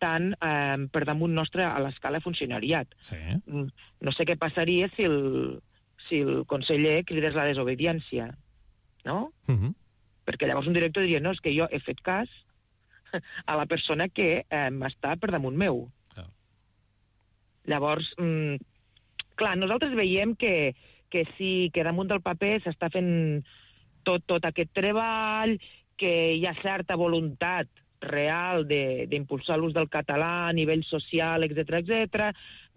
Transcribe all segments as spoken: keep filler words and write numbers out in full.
estan eh, per damunt nostre a l'escala funcionariat. Sí. No sé què passaria si el, si el conseller cridés la desobediència, no? Uh-huh. Perquè llavors un director diria, no, és que jo he fet cas a la persona que eh, està per damunt meu. Clar. Llavors, mm, clar, nosaltres veiem que, que sí, que damunt del paper s'està fent tot, tot aquest treball, que hi ha certa voluntat real d'impulsar l'ús del català a nivell social, etcètera, etcètera,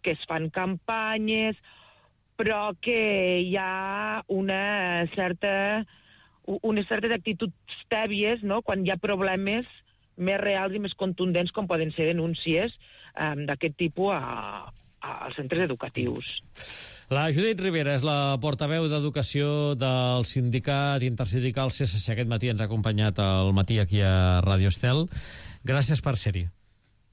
que es fan campanyes, però que hi ha una certa, unes certes actituds tèbies, no?, quan hi ha problemes més reals i més contundents, com poden ser denúncies um, d'aquest tipus a, a, als centres educatius. La Judit Rivera és la portaveu d'Educació del sindicat intersindical C S C. Aquest matí ens ha acompanyat al matí aquí a Ràdio Estel. Gràcies per ser-hi.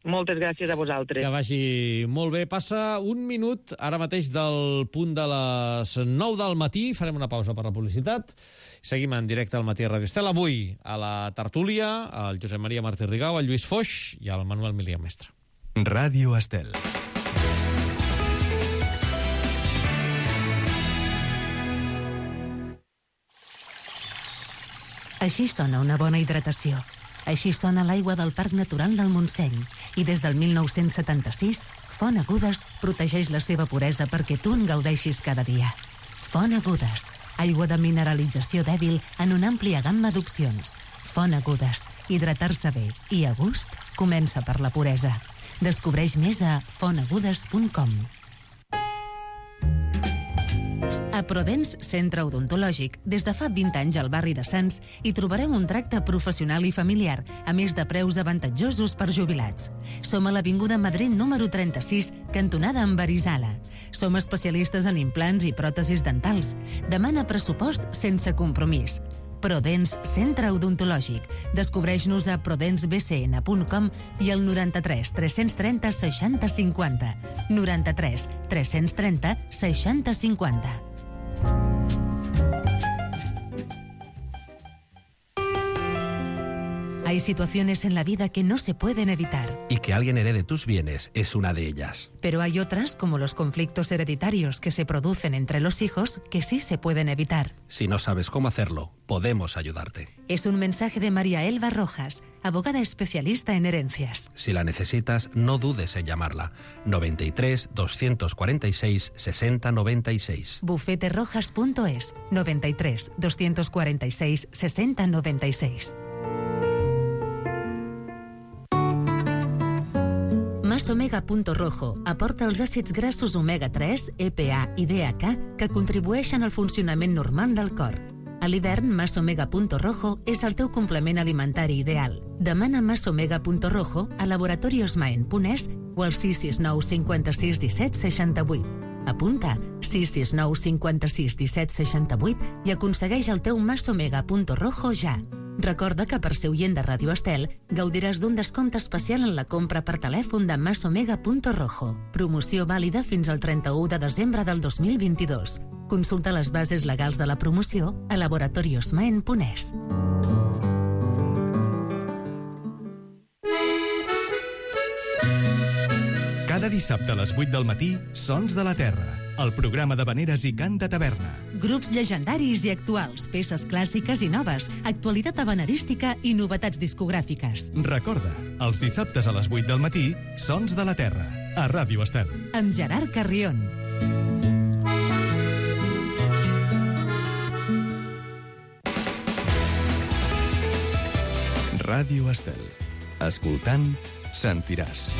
Moltes gràcies a vosaltres. Que vagi molt bé. Passa un minut ara mateix del punt de les nou del matí. Farem una pausa per la publicitat. Seguim en directe al matí a Ràdio Estel. Avui a la tertúlia, el Josep Maria Martí Rigau, el Lluís Foix i el Manuel Milià Mestre. Ràdio Estel. Així sona una bona hidratació. Així sona l'aigua del Parc Natural del Montseny. I des del mil nou-cents setanta-sis, Font Agudes protegeix la seva puresa perquè tu en gaudeixis cada dia. Font Agudes, aigua de mineralització dèbil en una àmplia gamma d'opcions. Font Agudes, hidratar-se bé i a gust comença per la puresa. Descobreix més a font agudes punt com. A Prodens Centre Odontològic, des de fa vint anys al barri de Sants, hi trobareu un tracte professional i familiar, a més de preus avantatjosos per jubilats. Som a l'Avinguda Madrid número trenta-sis, cantonada amb Arizala. Som especialistes en implants i pròtesis dentals. Demana pressupost sense compromís. Prodens Centre Odontològic. Descobreix-nos a prodens b c n punt com i al noranta-tres tres-cents trenta seixanta cinquanta. noranta-tres tres-cents trenta seixanta cinquanta. Hay situaciones en la vida que no se pueden evitar. Y que alguien herede tus bienes es una de ellas. Pero hay otras, como los conflictos hereditarios que se producen entre los hijos, que sí se pueden evitar. Si no sabes cómo hacerlo, podemos ayudarte. Es un mensaje de María Elba Rojas, abogada especialista en herencias. Si la necesitas, no dudes en llamarla. noventa y tres, doscientos cuarenta y seis, sesenta noventa y seis. bufete rojas punto es, noventa y tres, doscientos cuarenta y seis, sesenta noventa y seis. Masomega.rojo aporta els àcids grassos omega tres, E P A i D H A que contribueixen al funcionament normal del cor. A l'hivern, Masomega.rojo és el teu complement alimentari ideal. Demana Masomega.rojo a laboratoriosmaen.es o al sis sis nou cinquanta-sis disset seixanta-vuit. Apunta sis sis nou cinquanta-sis disset seixanta-vuit i aconsegueix el teu Masomega.rojo ja. Recorda que per ser oient de Ràdio Estel gaudiràs d'un descompte especial en la compra per telèfon de Masomega.rojo. Promoció vàlida fins al trenta-u de desembre del dos mil vint-i-dos. Consulta les bases legals de la promoció a laboratoriosmaen punt es. Cada dissabte a les vuit del matí, Sons de la Terra, el programa d'havaneres i cant de taverna. Grups llegendaris i actuals, peces clàssiques i noves, actualitat havanerística i novetats discogràfiques. Recorda, els dissabtes a les vuit del matí, Sons de la Terra, a Ràdio Estel. Amb Gerard Carrion. Ràdio Estel. Escoltant, sentiràs.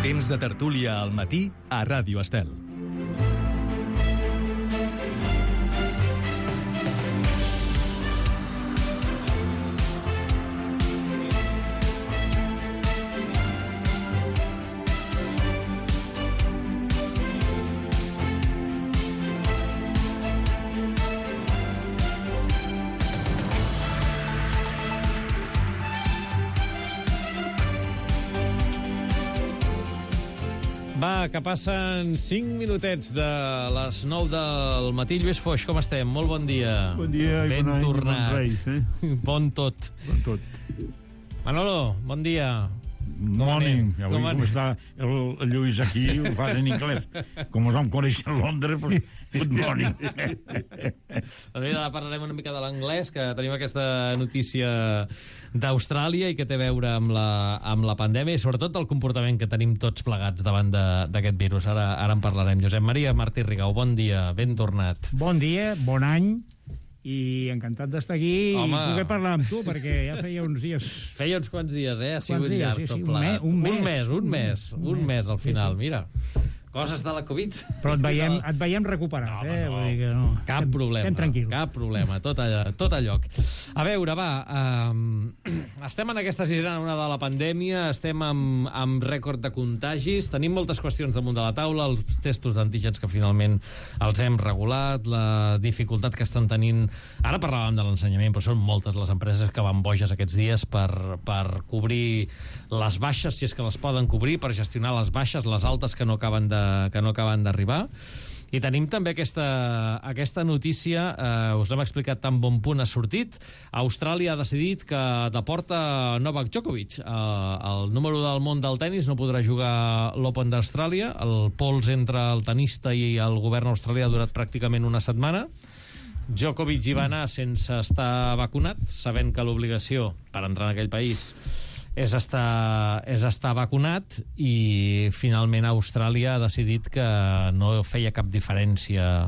Temps de tertúlia al matí a Ràdio Estel. Va que passen cinc minutets de les nou del matí. Lluís Foix, com estem? Molt bon dia. Bon dia i ben bon any, tornat. bon Reis, eh? Bon tot. Bon tot. Manolo, bon dia. Morning. Com Avui, anem? com està el, el Lluís aquí, ho fa en anglès. Com us vam conèixer a Londres, doncs, good morning. Doncs mira, ara parlarem una mica de l'anglès, que tenim aquesta notícia d'Austràlia i que té a veure amb la, amb la pandèmia i sobretot del comportament que tenim tots plegats davant d'aquest virus. Ara, ara en parlarem. Josep Maria Martí Rigau, bon dia, ben tornat. Bon dia, bon any, i encantat d'estar aquí Home. i poder parlar amb tu, perquè ja feia uns dies... Feia uns quants dies, eh? Ha sigut dies, llarg sí, tot sí, un plegat. me- un mes. Un mes, un mes, Un un mes. mes al final, mira. Coses de la Covid. Però et veiem, et veiem recuperat, No, eh? no. Vull dir que no. Cap Estem- problema, Estem tranquils. cap problema, tot a, tot a lloc. A veure, va, um, estem en aquesta sisena onada de la pandèmia, estem amb, amb rècord de contagis, tenim moltes qüestions damunt de la taula, els testos d'antígens que finalment els hem regulat, la dificultat que estan tenint... Ara parlàvem de l'ensenyament, però són moltes les empreses que van boges aquests dies per, per cobrir les baixes, si és que les poden cobrir, per gestionar les baixes, les altes que no acaben de que no acaben d'arribar. I tenim també aquesta, aquesta notícia, eh, us l'hem explicat tan bon punt ha sortit. Austràlia ha decidit que deporta Novak Djokovic. Eh, el número del món del tennis no podrà jugar l'Open d'Austràlia. El pols entre el tenista i el govern australià ha durat pràcticament una setmana. Djokovic hi va anar sense estar vacunat, sabent que l'obligació per entrar en aquell país és estar, és estar vacunat, i finalment Austràlia ha decidit que no feia cap diferència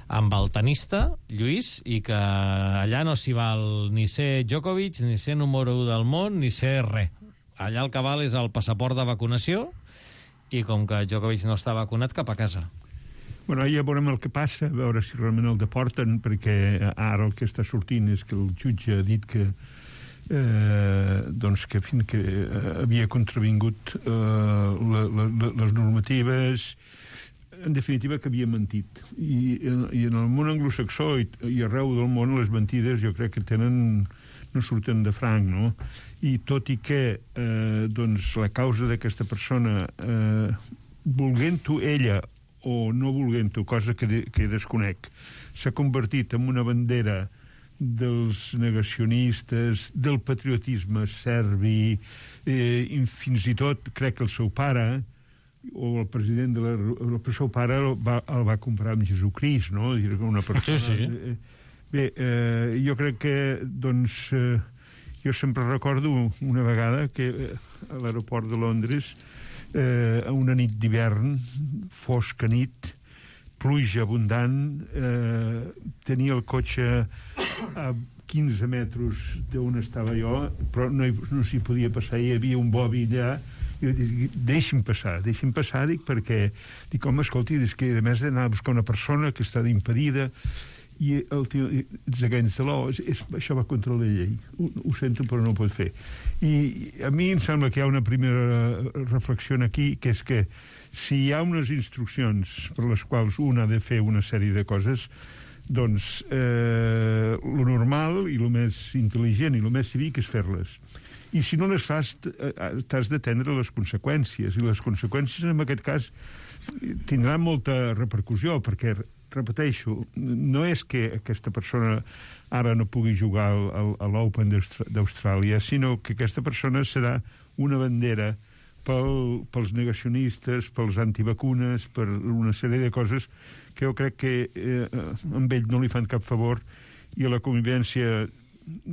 amb el tenista, Lluís, i que allà no s'hi val ni ser Djokovic, ni ser número u del món, ni ser res. Allà el que val és el passaport de vacunació, i com que Djokovic no està vacunat, cap a casa. Bueno, ja veurem el que passa, a veure si realment el deporten, perquè ara el que està sortint és que el jutge ha dit que eh, doncs que fins que eh, havia contravingut eh, la, la, les normatives, en definitiva que havia mentit. I, i en el món anglosaxó i, i arreu del món les mentides jo crec que tenen, no surten de franc, no? I tot i que eh, doncs la causa d'aquesta persona, eh, volent-ho ella o no volent-ho, cosa que, de, que desconec, s'ha convertit en una bandera dels negacionistes, del patriotisme serbi, eh, i fins i tot crec que el seu pare o el president de la... el seu pare el va, el va comprar amb Jesucrist, no? Una persona... Sí, sí. Bé, eh, jo crec que, doncs, eh, jo sempre recordo una vegada que eh, a l'aeroport de Londres, eh, a una nit d'hivern, fosca nit, pluja abundant, eh, tenia el cotxe a quinze metres d'on estava jo, però no, hi, no s'hi podia passar, hi havia un bobi allà, i dic, deixi'm passar, deixi'm passar, dic, perquè, dic, home, escolti, és que a més d'anar a buscar una persona que està impedida, i el tio, it's against the law, és, és, això va contra la llei, ho, ho sento però no ho pot fer. I a mi em sembla que hi ha una primera reflexió aquí, que és que si hi ha unes instruccions per les quals un ha de fer una sèrie de coses, doncs eh, lo normal i lo més intel·ligent i lo més cívic és fer-les. I si no les fas, t'has d'atendre les conseqüències, i les conseqüències en aquest cas tindran molta repercussió, perquè, repeteixo, no és que aquesta persona ara no pugui jugar al, al, a l'Open d'Austràlia, sinó que aquesta persona serà una bandera pel, pels negacionistes, pels antivacunes, per una sèrie de coses que jo crec que eh, amb ell no li fan cap favor, i a la convivència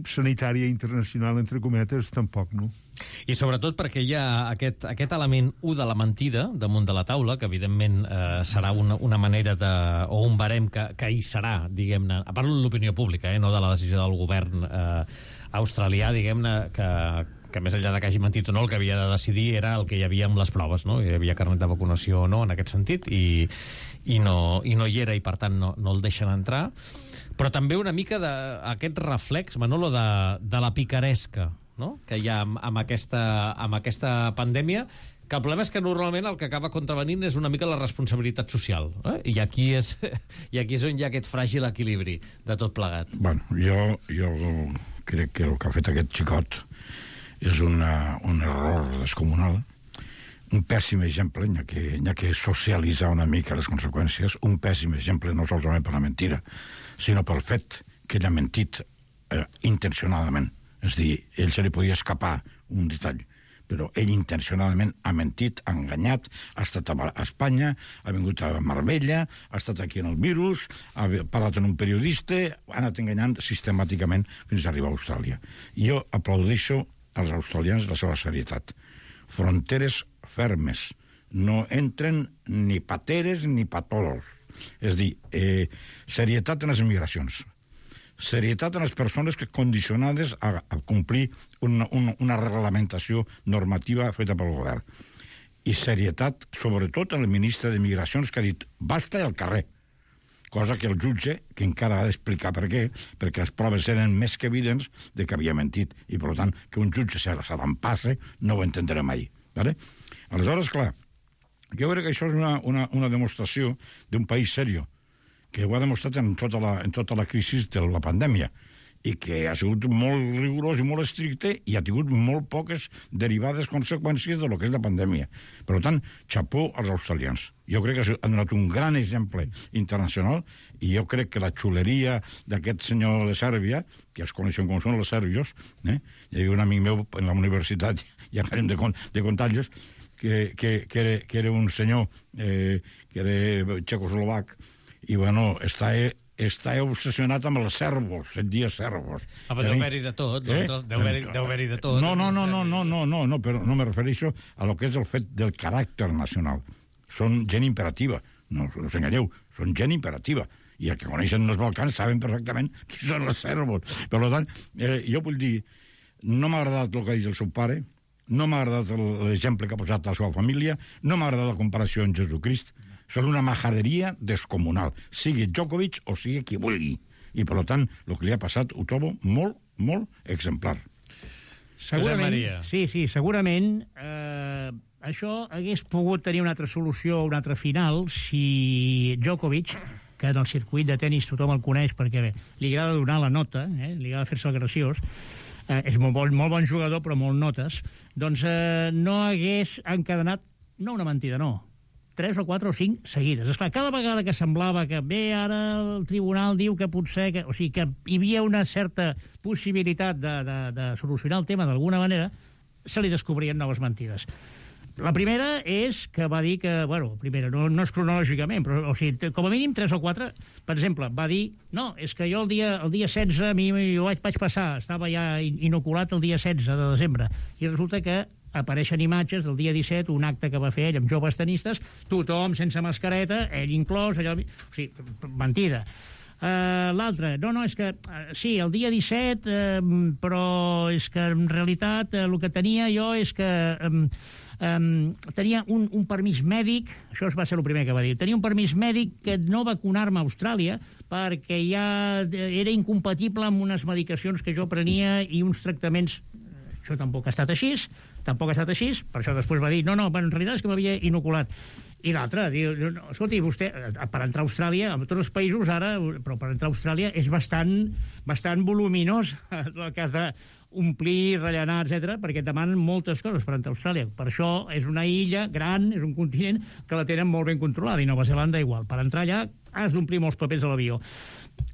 sanitària internacional, entre cometes, tampoc, no? I sobretot perquè hi ha aquest, aquest element u de la mentida damunt de la taula, que evidentment eh, serà una, una manera de, o un barem que, que hi serà, diguem-ne, a part de l'opinió pública, eh, no de la decisió del govern eh, australià, diguem-ne, que, que més enllà de que hagi mentit o no, el que havia de decidir era el que hi havia amb les proves, no? Hi havia carnet de vacunació o no, en aquest sentit, i, i, no, i no hi era, i per tant no, no el deixen entrar. Però també una mica d'aquest reflex, Manolo, de, de la picaresca, no?, que hi ha amb, amb, aquesta, amb aquesta pandèmia, que el problema és que normalment el que acaba contravenint és una mica la responsabilitat social, eh? I aquí és, i aquí és on hi ha aquest fràgil equilibri de tot plegat. Bueno, jo, jo crec que el que ha fet aquest xicot és una, un error descomunal, un pèssim exemple, n'hi ha que, n'hi ha que socialitzar una mica les conseqüències, un pèssim exemple no solament per la mentira, sinó pel fet que ell ha mentit eh, intencionadament. És a dir, ell se li podia escapar un detall, però ell intencionadament ha mentit, ha enganyat, ha estat a Espanya, ha vingut a Marbella, ha estat aquí en el virus, ha parlat en un periodista, ha anat enganyant sistemàticament fins a arribar a Austràlia. I jo aplaudeixo als australians la seva serietat. Fronteres fermes. No entren ni pateres ni patolos. És a dir, eh, serietat en les migracions. Serietat en les persones que condicionades a, a complir una, una, una reglamentació normativa feta pel govern. I serietat, sobretot, en el ministre de Migracions, que ha dit basta al carrer. Cosa que el jutge, que encara ha d'explicar per què, perquè les proves eren més que evidents de que havia mentit. I, per tant, que un jutge se l'empasse no ho entendré mai. Vale? Aleshores, clar, jo crec que això és una, una, una demostració d'un país serio, que ho ha demostrat en tota la, en tota la crisi de la pandèmia, i que ha sigut molt rigorós i molt estricte i ha tingut molt poques derivades conseqüències de lo que és la pandèmia. Per tant, xapó als australians. Jo crec que han donat un gran exemple internacional i jo crec que la xuleria d'aquest senyor de Sèrbia, que es coneixen com són els sèrbios, eh? Hi havia un amic meu en la universitat, ja parlem de, de contagios, que, que, que, era, que era un senyor eh, que era txecoslovac, i bueno, està... està obsessionat amb els servos, et dia servos. Ah, però deu haver-hi de tot, no? Eh? Deu haver-hi haver de tot. No, no, no, no, no, no, no, no, però no me refereixo a lo que és el fet del caràcter nacional. Són gent imperativa, no, no us enganyeu, són gent imperativa. I el que coneixen els Balcans saben perfectament qui són els servos. Per tant, eh, jo vull dir, no m'ha agradat el que ha dit el seu pare, no m'ha agradat l'exemple que ha posat la seva família, no m'ha agradat la comparació amb Jesucrist. Són una majaderia descomunal, sigui Djokovic o sigui qui vulgui. I, per tant, el que li ha passat ho trobo molt, molt exemplar. Segurament, sí, sí, segurament eh, això hagués pogut tenir una altra solució, una altra final, si Djokovic, que en el circuit de tennis tothom el coneix perquè bé, li agrada donar la nota, eh, li agrada fer-se el graciós, eh, és molt bon, molt bon jugador, però molt notes, doncs eh, no hagués encadenat, no una mentida, no, tres o quatre o cinc seguides. Esclar, cada vegada que semblava que bé, ara el tribunal diu que potser... Que, o sigui, que hi havia una certa possibilitat de, de, de solucionar el tema d'alguna manera, se li descobrien noves mentides. La primera és que va dir que... Bueno, primera, no, no és cronològicament, però o sigui, com a mínim tres o quatre, per exemple, va dir no, és que jo el dia, el dia setze, a mi jo vaig, vaig passar, estava ja inoculat el dia setze de desembre, i resulta que apareixen imatges del dia disset, un acte que va fer ell amb joves tenistes, tothom sense mascareta, ell inclòs, allò... O sigui, mentida. Uh, L'altre, no, no, és que uh, sí, el dia disset, uh, però és que en realitat uh, el que tenia jo és que um, um, tenia un, un permís mèdic, això va ser el primer que va dir, tenia un permís mèdic que no vacunar-me a Austràlia perquè ja era incompatible amb unes medicacions que jo prenia i uns tractaments. Això tampoc ha estat així, tampoc ha estat així, per això després va dir, no, no, en realitat és que m'havia inoculat. I l'altre, diu, no, escolti, vostè, per entrar a Austràlia, en tots els països ara, però per entrar a Austràlia és bastant, bastant voluminós el cas d'omplir, rellenar, etcètera, perquè et demanen moltes coses per entrar a Austràlia. Per això és una illa gran, és un continent que la tenen molt ben controlada, i Nova Zelanda igual. Per entrar allà has d'omplir molts papers a l'avió.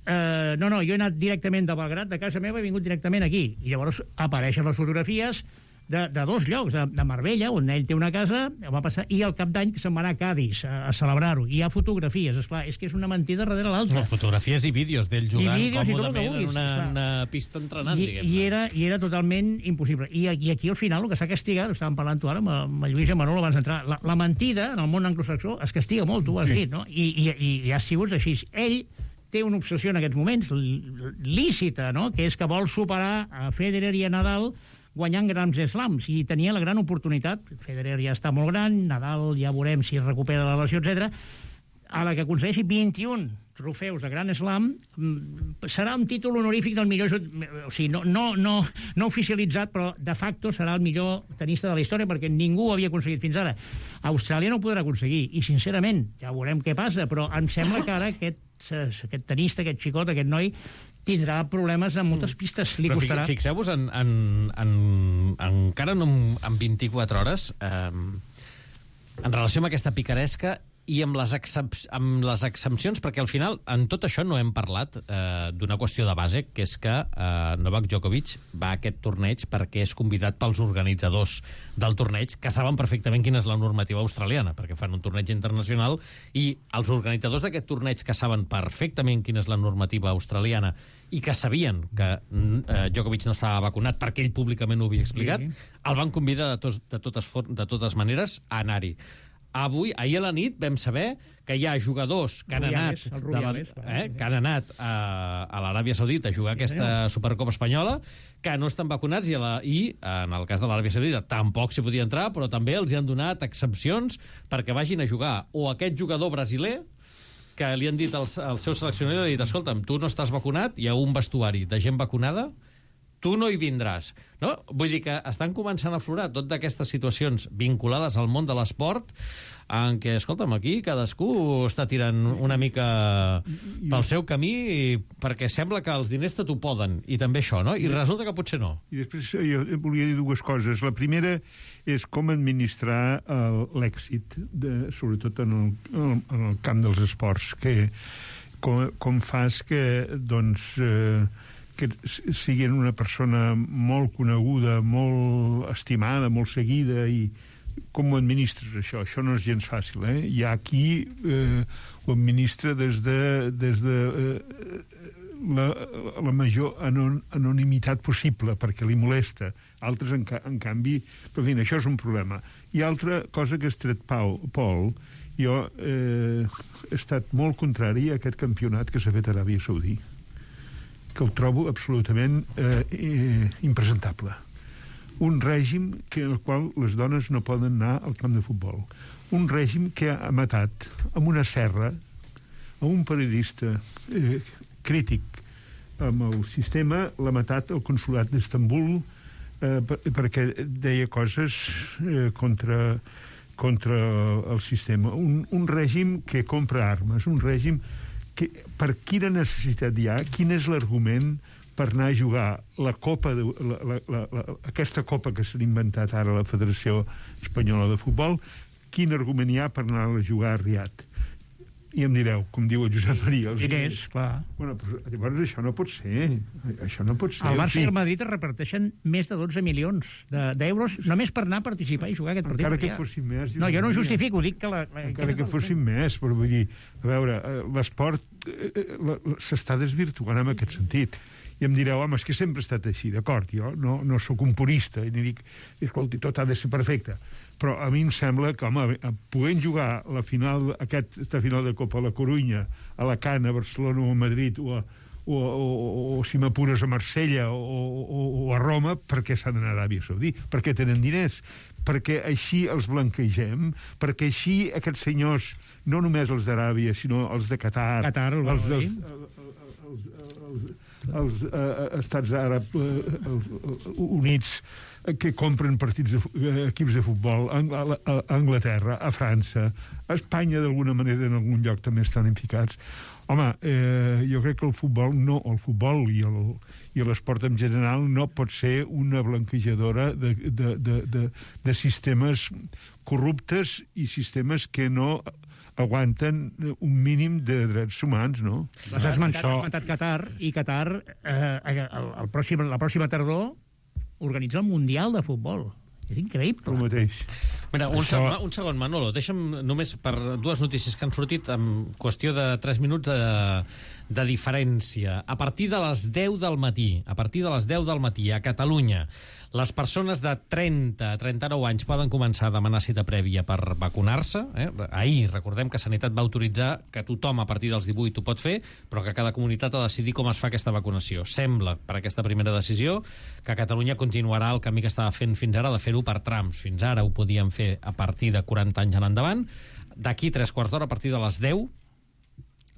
Uh, no, no, jo he anat directament de Belgrat, de casa meva, he vingut directament aquí. I llavors apareixen les fotografies de, de dos llocs, de, de Marbella, on ell té una casa, va passar, i al cap d'any se'n va anar a Cádiz a, a celebrar-ho. I hi ha fotografies, esclar, és que és una mentida darrere l'altra. No, fotografies i vídeos d'ell jugant vídeos còmodament vulguis, en una, una pista entrenant, I, diguem-ne. I era, I era totalment impossible. I, I aquí al final el que s'ha castigat, estàvem parlant tu ara amb, amb Lluís i Manolo abans d'entrar, la, la mentida en el món anglosaxó es castiga molt, tu ho has sí. dit, no? I, i, i ha sigut així. Ell té una obsessió en aquests moments, lícita, no? Que és que vol superar a Federer i a Nadal guanyant grans slams, i tenia la gran oportunitat. Federer ja està molt gran, Nadal ja veurem si es recupera la lesió, etcètera. A la que aconsegueixi vint-i-un trofeus de Gran Slam, serà un títol honorífic del millor... O sigui, no, no, no, no oficialitzat, però de facto serà el millor tenista de la història, perquè ningú ho havia aconseguit fins ara. Austràlia no ho podrà aconseguir, i sincerament, ja veurem què passa, però em sembla que ara aquest, aquest tenista, aquest xicot, aquest noi, tindrà problemes en moltes pistes. Li però costarà... Fixeu-vos, en, en, en, encara no en vint-i-quatre hores... Eh, en relació amb aquesta picaresca i amb les, excep amb les exempcions, perquè al final, en tot això no hem parlat eh, d'una qüestió de base, que és que eh, Novak Djokovic va a aquest torneig perquè és convidat pels organitzadors del torneig, que saben perfectament quina és la normativa australiana, perquè fan un torneig internacional, i els organitzadors d'aquest torneig, que saben perfectament quina és la normativa australiana i que sabien que eh, Djokovic no s'ha vacunat perquè ell públicament ho havia explicat, sí. el van convidar de, tos, de, totes, de totes maneres a anar-hi. Avui, ahir a la nit, vam saber que hi ha jugadors que han anat, Rubiales, de la, eh, que han anat a, a l'Aràbia Saudita a jugar aquesta Supercopa Espanyola, que no estan vacunats, i, a la, i en el cas de l'Aràbia Saudita tampoc s'hi podia entrar, però també els hi han donat exempcions perquè vagin a jugar. O aquest jugador brasiler, que li han dit al seu seleccionador, li han dit, escolta'm, tu no estàs vacunat, hi ha un vestuari de gent vacunada, tu no hi vindràs. No? Vull dir que estan començant a aflorar tot d'aquestes situacions vinculades al món de l'esport, en què, escolta'm, aquí cadascú està tirant una mica pel seu camí perquè sembla que els diners tot ho poden, i també això, no? I resulta que potser no. I després jo volia dir dues coses. La primera és com administrar l'èxit, sobretot en el, en el camp dels esports, que com, com fas que, doncs... Eh, que siguin una persona molt coneguda, molt estimada, molt seguida, i com ho administres, això? Això no és gens fàcil, eh? Hi ha qui eh, ho administra des de, des de eh, la, la major anon, anonimitat possible, perquè li molesta. Altres, en, en canvi... Però, en fi, això és un problema. I altra cosa que has tret, Pau, Pol, jo eh, he estat molt contrari a aquest campionat que s'ha fet a Aràbia Saudita, que el trobo absolutament eh, eh, impresentable. Un règim que, en el qual les dones no poden anar al camp de futbol. Un règim que ha matat amb una serra a un periodista eh, crític amb el sistema, l'ha matat el consolat d'Istanbul eh, per, perquè deia coses eh, contra, contra el sistema. Un, un règim que compra armes, un règim que, per quina necessitat hi ha, quin és l'argument per anar a jugar la copa de, la, la, la, la, aquesta copa que s'ha inventat ara la Federació Espanyola de Futbol, quin argument hi ha per anar a jugar a Riad? I em direu, com diu el Josep Maria... Els diners, clar. Bueno, però, llavors això no pot ser. Això no pot ser. Al Barça i al Madrid es reparteixen més de dotze milions d'euros de, només per anar a participar i jugar aquest partit. Encara que fossin més... No, jo no ho justifico, dic que... La, la, Encara que fossin més, però vull dir... A veure, l'esport s'està desvirtuant en aquest sentit. I em direu, home, és que sempre ha estat així, d'acord, jo no, no sóc un purista, i ni dic, escolti, tot ha de ser perfecte. Però a mi em sembla que, home, podent jugar la final, aquesta final de Copa a la Corunya, a Alacant, a Barcelona o a Madrid, o, a, o, o, o, o si m'apures a Marsella o, o, o a Roma, per què s'han d'anar a Aràbia Saudita? Perquè tenen diners, perquè així els blanquegem, perquè així aquests senyors, no només els d'Aràbia, sinó els de Qatar, Qatar el els dels... Els, els, els uh, estats àrabs uh, units que compren partits de, uh, equips de futbol a, a, a Anglaterra, a França, a Espanya d'alguna manera en algun lloc també estan implicats. Home, eh, jo crec que el futbol no, el futbol i el i l'esport en general no pot ser una blanquejadora de, de, de, de, de sistemes corruptes i sistemes que no aguanten un mínim de drets humans, no? Has esmentat Qatar, i Qatar eh, el, el pròxim, la pròxima tardor organitza el Mundial de Futbol. És increïble. El mateix. Mira, un, Això... segon, un segon, Manolo, deixa'm només per dues notícies que han sortit en qüestió de tres minuts de, de diferència. A partir de les deu del matí, a partir de les deu del matí, a Catalunya, les persones de trenta a trenta-nou anys poden començar a demanar cita prèvia per vacunar-se. Eh? Ahir, recordem que Sanitat va autoritzar que tothom a partir dels divuit ho pot fer, però que cada comunitat ha de decidir com es fa aquesta vacunació. Sembla, per aquesta primera decisió, que Catalunya continuarà el camí que estava fent fins ara, de fer-ho per trams. Fins ara ho podíem fer a partir de quaranta anys en endavant. D'aquí tres quarts d'hora, a partir de les deu,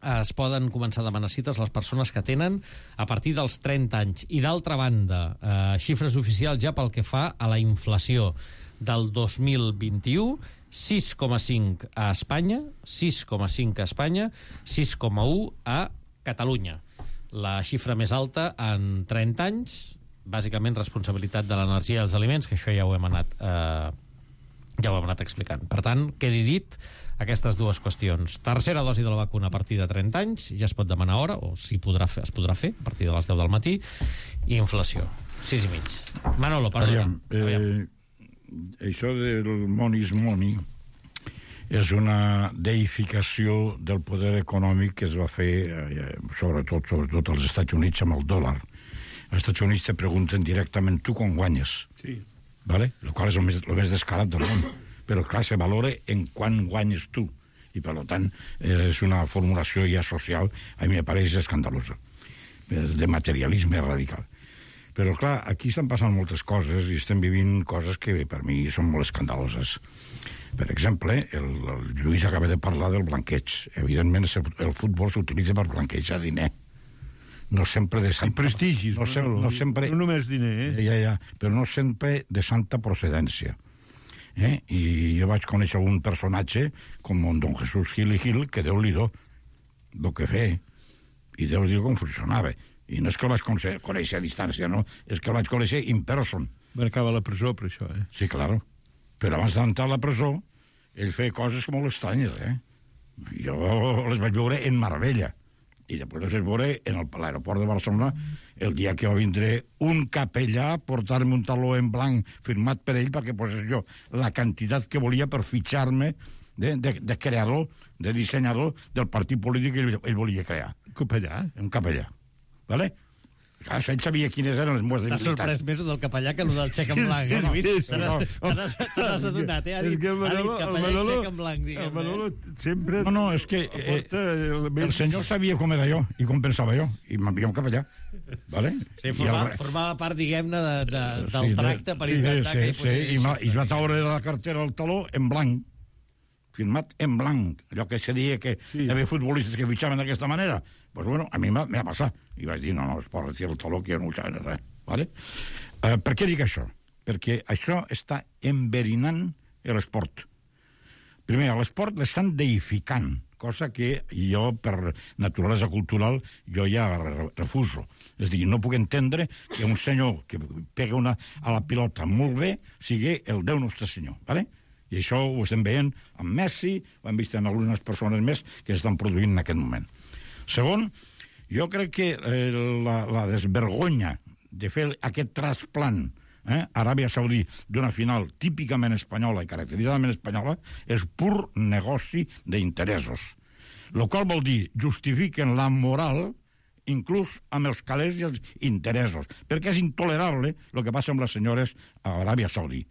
es poden començar a demanar cites les persones que tenen a partir dels trenta anys. I d'altra banda, eh, xifres oficials ja pel que fa a la inflació del dos mil vint-i-u, sis coma cinc a Espanya, sis coma cinc a Espanya, sis coma un a Catalunya. La xifra més alta en trenta anys, bàsicament responsabilitat de l'energia i els aliments, que això ja ho hem anat eh, Ja ho hem anat explicant. Per tant, quedi dit aquestes dues qüestions. Tercera dosi de la vacuna a partir de trenta anys, ja es pot demanar hora, o si podrà fer, es podrà fer, a partir de les deu del matí, i inflació, sis i mig. Manolo, perdona. Aviam, eh, això del money is money és una deificació del poder econòmic que es va fer, eh, sobretot, sobretot als Estats Units, amb el dòlar. Als Estats Units te pregunten directament tu quan guanyes. Sí. ¿Vale? Lo qual és el més, el més descarat del món. Però, clar, se valora en quan guanyes tu. I, per tant, és una formulació ja social, a mi me pareix escandalosa. De materialisme radical. Però, clar, aquí estan passant moltes coses i estem vivint coses que, per mi, són molt escandaloses. Per exemple, el, el Lluís acaba de parlar del blanqueig. Evidentment, el futbol s'utilitza per blanquejar diner. No sempre de santa... I prestigis, no, no, no, sempre, no només diner, eh? Ja, ja, però no sempre de santa procedència. Eh? I jo vaig conèixer un personatge com don Jesús Gil i Gil, que Déu-li-do el que feia, i Déu-li-do com funcionava. I no és que el vaig conèixer a distància, no? És que el vaig conèixer in person. Va acabar a la presó per això, eh? Sí, claro. Però abans d'entrar a la presó, ell feia coses molt estranyes, eh? Jo les vaig veure en Marbella. I després les vaig veure en l'aeroport de Barcelona el dia que va vindre un capellà a portar-me un taló en blanc firmat per ell perquè posés jo la quantitat que volia per fitxar-me de, de, de creador, de dissenyador del partit polític que ell, ell volia crear. Capellà? Un capellà. Vale? Clar, ell sabia quines eren les meves debilitats. T'ha sorprès més del capellà que el del xec en blanc, eh, Lluís? Te n'has adonat, eh? Ha dit, ha dit capellà i xec en blanc, diguem-ne. El Manolo sempre... No, no, és que eh, el senyor sabia com era jo i com pensava jo, i m'envia un capellà. Vale? Sí, formava, el... formava part, diguem-ne, de, de, del sí, tracte per sí, intentar sí, que hi posés... Sí, i, i va treure de la cartera el taló en blanc, firmat en blanc, allò que se deia que sí. Hi havia futbolistes que fitxaven d'aquesta manera. Pues bueno, a mi m'ha passat. I vaig dir, no, no, es pot retirar el taló, que jo no ho sabia res. Vale? Uh, per què dic això? Perquè això està enverinant l'esport. Primer, l'esport l'estan deificant, cosa que jo, per naturalesa cultural, jo ja refuso. És a dir, no puc entendre que un senyor que pega una, a la pilota molt bé sigui el Déu Nostre Senyor. Vale? I això ho estem veient amb Messi, ho hem vist en algunes persones més que estan produint en aquest moment. Segon, jo crec que eh, la, la desvergonya de fer aquest trasplant eh, a Aràbia Saudí d'una final típicament espanyola i caracteritzadament espanyola és pur negoci d'interessos. Lo qual vol dir, justifiquen la moral inclús amb els calés i els interessos, perquè és intolerable el que passa amb les senyores a Aràbia Saudí.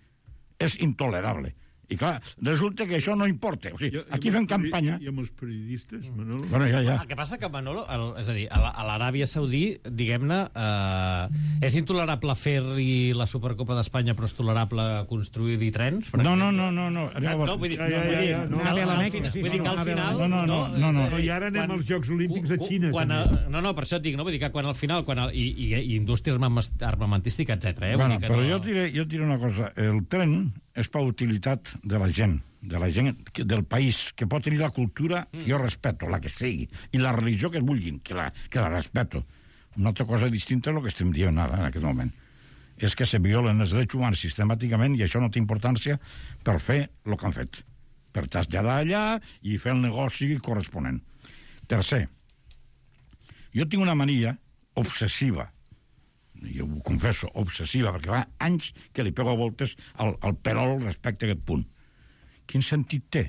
És intolerable. I clar, resulta que això no importa. O sigui, aquí fem campanya... I amb els periodistes, Manolo? Bueno, ja, ja. El que passa que, Manolo, el, és a dir, a l'Aràbia Saudí, diguem-ne, eh, és intolerable fer-hi la Supercopa d'Espanya, però és tolerable construir-hi trens? No, no, no, no. no. No, vull dir, ja, ja, ja, ja. No, no, no, vull dir que al final... No, no, no. no, no, no. I ara anem quan, als Jocs Olímpics a Xina, quan, també. No, no, per això et dic, no? Vull dir que quan al final... Quan el, i, i, I indústria armamentística, etcètera. Eh? Bueno, però no... jo, diré, jo diré una cosa. El tren és per utilitat de la gent, de la gent del país, que pot tenir la cultura que jo respeto, la que sigui, i la religió que es vulguin, que la, que la respeto. Una altra cosa distinta és el que estem dient ara, en aquest moment. És que se violen els drets humans sistemàticament i això no té importància per fer el que han fet. Per traslladar allà i fer el negoci corresponent. Tercer, jo tinc una mania obsessiva, jo ho confesso, obsessiva, perquè fa anys que li pego voltes al, al perol respecte a aquest punt. Quin sentit té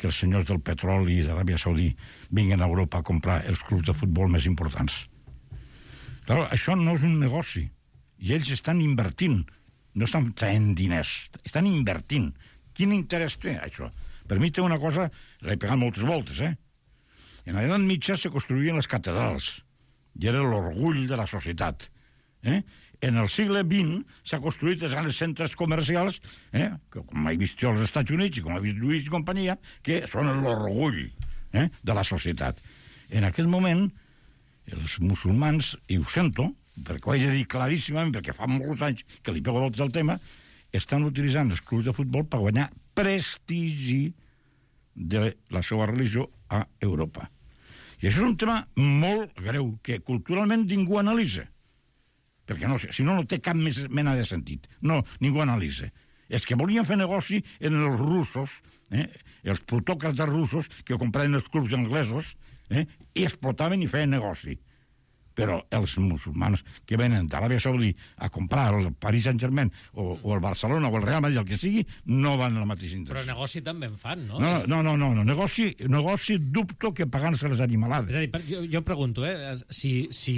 que els senyors del petroli i d'Aràbia Saudí vinguin a Europa a comprar els clubs de futbol més importants? Clar, això no és un negoci. I ells estan invertint. No estan traient diners. Estan invertint. Quin interès té, això? Per mi té una cosa... L'he pegat moltes voltes, eh? En l'edat mitja se construïen les catedrals. I era l'orgull de la societat. Eh? En el segle vint s'ha construït els grans centres comercials, eh? que, com he vist jo als Estats Units i com he vist Lluís i companyia, que són l'orgull eh? de la societat. En aquest moment, els musulmans, i ho sento, perquè ho he de dir claríssimament, perquè fa molts anys que li pego voltes al tema, estan utilitzant els clubs de futbol per guanyar prestigi de la seva religió a Europa. I això és un tema molt greu, que culturalment ningú analitza. Perquè no, si no, no té cap més mena de sentit. No, ningú analitza. És que volien fer negoci en els russos, eh? els plutòcrates russos que compraven els clubs anglesos, eh? i explotaven i feien negoci. Però els musulmans que venen d'Aràbia Saudí a comprar el Paris Saint-Germain o, o el Barcelona o el Real Madrid, el que sigui, no van en la mateixa intenció. Però negoci també en fan, no? No, no, no, no, no. Negoci, negoci dubto que pagant-se les animalades. És a dir, per, jo, jo pregunto, eh, si, si,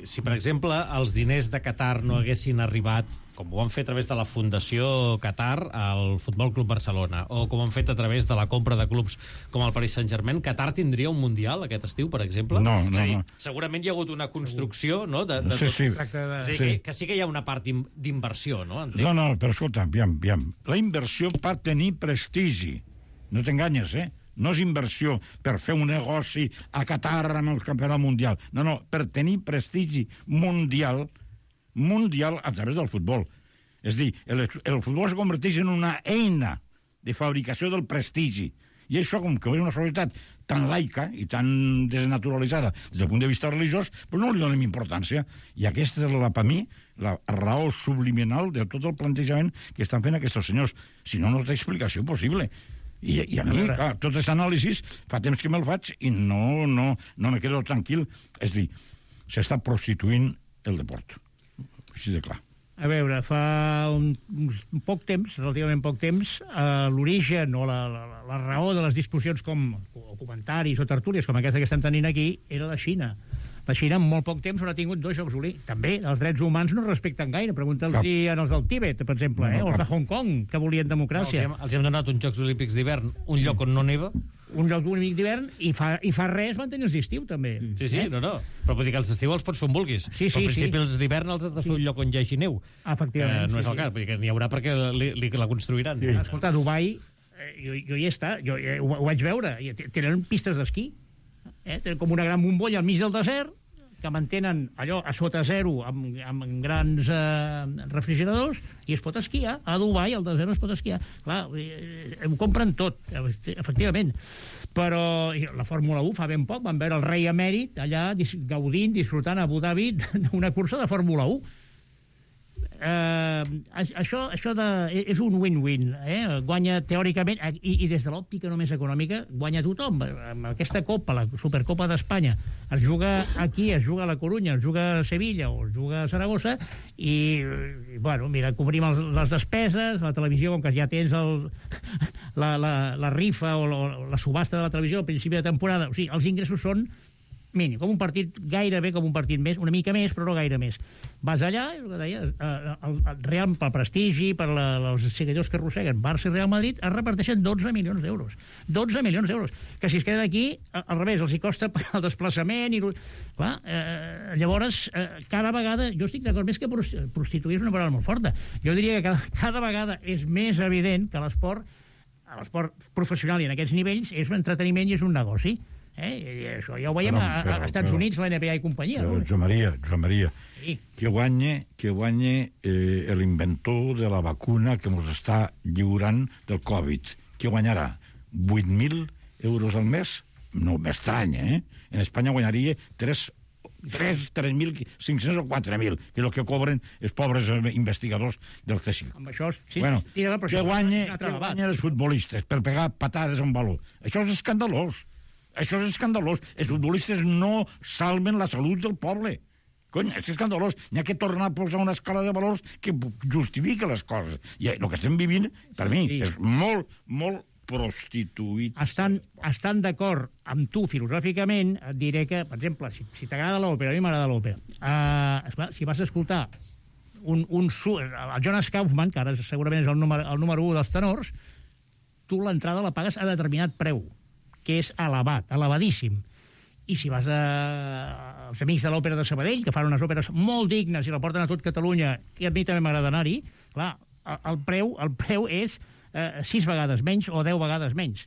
si, per exemple, els diners de Qatar no haguessin arribat, com ho han fet a través de la Fundació Qatar al Futbol Club Barcelona, o com han fet a través de la compra de clubs com el Paris Saint-Germain, Qatar tindria un Mundial aquest estiu, per exemple? No, no, dir, no. Segurament hi ha hagut una construcció, no? De, de sí, tot... sí. És a dir, sí. Que, que sí que hi ha una part d'inversió, no? Entenc. No, no, però escolta, aviam, aviam. La inversió pot tenir prestigi. No t'enganyes, eh? No és inversió per fer un negoci a Qatar amb el campionat mundial. No, no, per tenir prestigi mundial, mundial a través del futbol. És dir, el, el futbol es converteix en una eina de fabricació del prestigi. I això, com que és una societat tan laica i tan desnaturalitzada des del punt de vista religiós, però no li donem importància. I aquesta és, la, per mi, la raó subliminal de tot el plantejament que estan fent aquests senyors. Si no, no té explicació possible. I, i a mi, clar, tot aquest anàlisi fa temps que me'l faig i no, no, no me quedo tranquil. És dir, s'està prostituint el deport. Així de clar. A veure, fa un, un poc temps, relativament poc temps, eh, l'origen o la, la, la raó de les discussions com o comentaris o tertúlies com aquesta que estem tenint aquí era la Xina. La Xina en molt poc temps haurà tingut dos Jocs Olímpics. També els drets humans no respecten gaire. Pregunta'ls als del Tíbet, per exemple, eh? o els de Hong Kong, que volien democràcia. No, els, hem, els hem donat uns Jocs Olímpics d'hivern, un lloc on no neva. Un lloc olímpic d'hivern i fa, i fa res van tenir els d'estiu, també. Sí, sí, eh? no, no. Però vull dir que els d'estiu els pots fer on vulguis. Sí, sí, però al principi sí. els d'hivern els has de fer sí. un lloc on hi hagi neu. Efectivament. Que no és sí, el cas, vull dir que n'hi haurà perquè li, li, la construiran. Sí. Escolta, a Dubai, eh, jo, jo hi he estat, jo, eh, ho, ho vaig veure, tenen pistes d'esquí, eh? Tenen com una gran bombolla al mig del desert, que mantenen allò a sota zero amb, amb grans eh, refrigeradors i es pot esquiar. A Dubai, al desert, es pot esquiar. Clar, eh, ho compren tot, efectivament. Però la Fórmula u fa ben poc van veure el rei emèrit allà gaudint, disfrutant a Abu Dhabi d'una cursa de Fórmula u. Eh, això, això de, és un win-win, eh? Guanya teòricament, i, i des de l'òptica només econòmica, guanya tothom. Amb aquesta Copa, la Supercopa d'Espanya, es juga aquí, es juga a la Corunya, es juga a Sevilla o es juga a Saragossa, i, i bueno, mira, cobrim els, les despeses, la televisió, com que ja tens el, la, la, la rifa o la, la subhasta de la televisió al principi de temporada, o sigui, els ingressos són mínim, com un partit, gairebé com un partit més, una mica més, però no gaire més. Vas allà, el que deia, el, el Real, pel prestigi, per la, els seguidors que arrosseguen Barça i Real Madrid, es reparteixen dotze milions d'euros. dotze milions d'euros. Que si es queden aquí, al revés, els hi costa el desplaçament i... Clar, eh, llavors, eh, cada vegada... Jo estic d'acord, més que prostituir és una paraula molt forta. Jo diria que cada, cada vegada és més evident que l'esport, l'esport professional i en aquests nivells, és un entreteniment i és un negoci. Eh? I això ja ho veiem però, a, a, a Estats però, Units, la N B A i companyia. Però, no? Joan Maria, Joan Maria, sí. que guanye, que guanye eh, l'inventor de la vacuna que ens està lliurant del Covid. Que guanyarà? vuit mil euros al mes? No m'estranya, eh? En Espanya guanyaria tres mil cinc-cents o quatre mil, que és el que cobren els pobres investigadors del C S I C. Amb això, sí, bueno, sí, que això, guanye, que guanyen els futbolistes per pegar patades a un baló. Això és escandalós. Això és escandalós. Els futbolistes no salven la salut del poble. Cony, és escandalós. N'hi ha que tornar a posar una escala de valors que justifica les coses. I el que estem vivint, per mi, sí. és molt, molt prostituït. Estan, estan d'acord amb tu filosòficament, et diré que, per exemple, si, si t'agrada l'òpera, a mi m'agrada l'òpera, uh, si vas a escoltar un, un, el Jonas Kaufmann, que ara segurament és el número, el número u dels tenors, tu l'entrada la pagues a determinat preu, que és elevat, elevadíssim. I si vas a... als amics de l'òpera de Sabadell, que fan unes òperes molt dignes i la porten a tot Catalunya, i a mi també m'agrada anar-hi, clar, el preu, el preu és eh, sis vegades menys o deu vegades menys.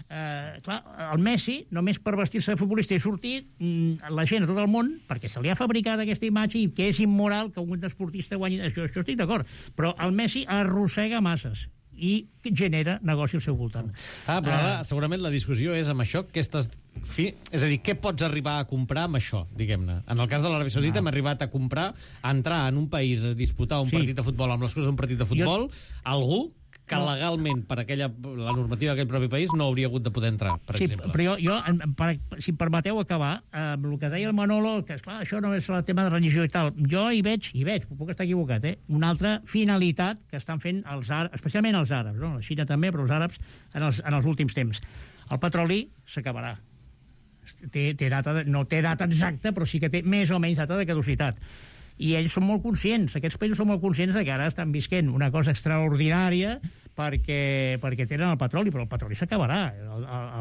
Eh, clar, el Messi, només per vestir-se de futbolista i sortir, la gent a tot el món, perquè se li ha fabricat aquesta imatge i que és immoral que un esportista guanyi... Això, això estic d'acord, però el Messi arrossega masses i genera negoci al seu voltant. Ah, però ara, uh, segurament la discussió és amb això que estàs... Fi... És a dir, què pots arribar a comprar amb això, diguem-ne? En el cas de l'Aràbia Saudita no. hem arribat a comprar, a entrar en un país a disputar un sí. partit de futbol amb les coses d'un partit de futbol, jo... algú que legalment, per aquella, la normativa d'aquell propi país, no hauria hagut de poder entrar, per sí, exemple. Però jo, jo per, si em permeteu acabar, amb el que deia el Manolo, que esclar, això no és el tema de religió i tal, jo hi veig, hi veig, puc estar equivocat, eh? una altra finalitat que estan fent els àrabs, especialment els àrabs, no? La Xina també, però els àrabs en els, en els últims temps. El petroli s'acabarà. Té, té data, no té data exacta, però sí que té més o menys data de caducitat. I ells són molt conscients, aquests països són molt conscients de que ara estan visquent una cosa extraordinària perquè, perquè tenen el petroli, però el petroli s'acabarà.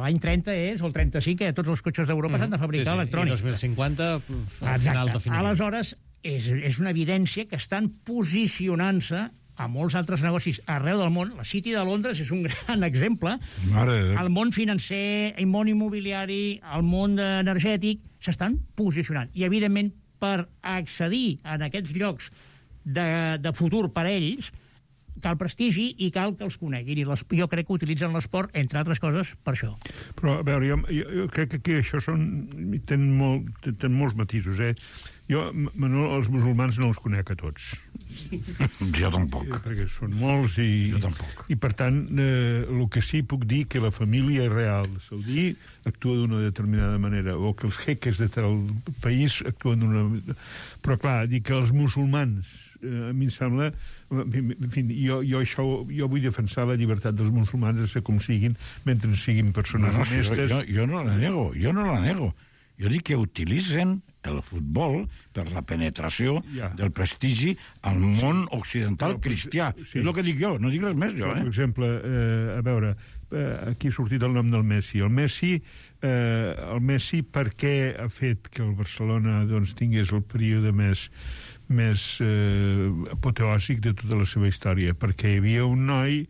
L'any trenta és, o el trenta-cinc, que tots els cotxes d'Europa s'han de fabricar sí, sí. electrònics. I dos mil cinquanta, al final definitiu. Aleshores, és, és una evidència que estan posicionant-se a molts altres negocis arreu del món. La City de Londres és un gran exemple. Mare de... El món financer, el món immobiliari, el món energètic, s'estan posicionant. I, evidentment, per accedir a aquests llocs de, de futur per a ells, cal prestigi i cal que els coneguin. I les, jo crec que utilitzen l'esport, entre altres coses, per això. Però, a veure, jo, jo, jo crec que aquí això són, tenen, molt, tenen molts matisos, eh? Jo, Manol, els musulmans no els conec a tots. Jo tampoc. Perquè són molts i... Jo tampoc. I, per tant, eh, el que sí puc dir que la família real saudí actua d'una determinada manera, o que els jeques de tal país actuen d'una... Però, clar, dir que els musulmans, eh, a mi em sembla... En fi, jo, jo, això, jo vull defensar la llibertat dels musulmans de ser com siguin, mentre siguin persones no, no, honestes... Jo, jo no la nego, jo no la nego. Jo dic que utilitzen el futbol per la penetració ja. del prestigi al món occidental no, cristià. Sí. És el que dic jo, no dic res més jo. Eh? Per exemple, eh, a veure, eh, aquí ha sortit el nom del Messi. El Messi, eh, el Messi per què ha fet que el Barcelona doncs, tingués el període més, més eh, apoteòsic de tota la seva història? Perquè hi havia un noi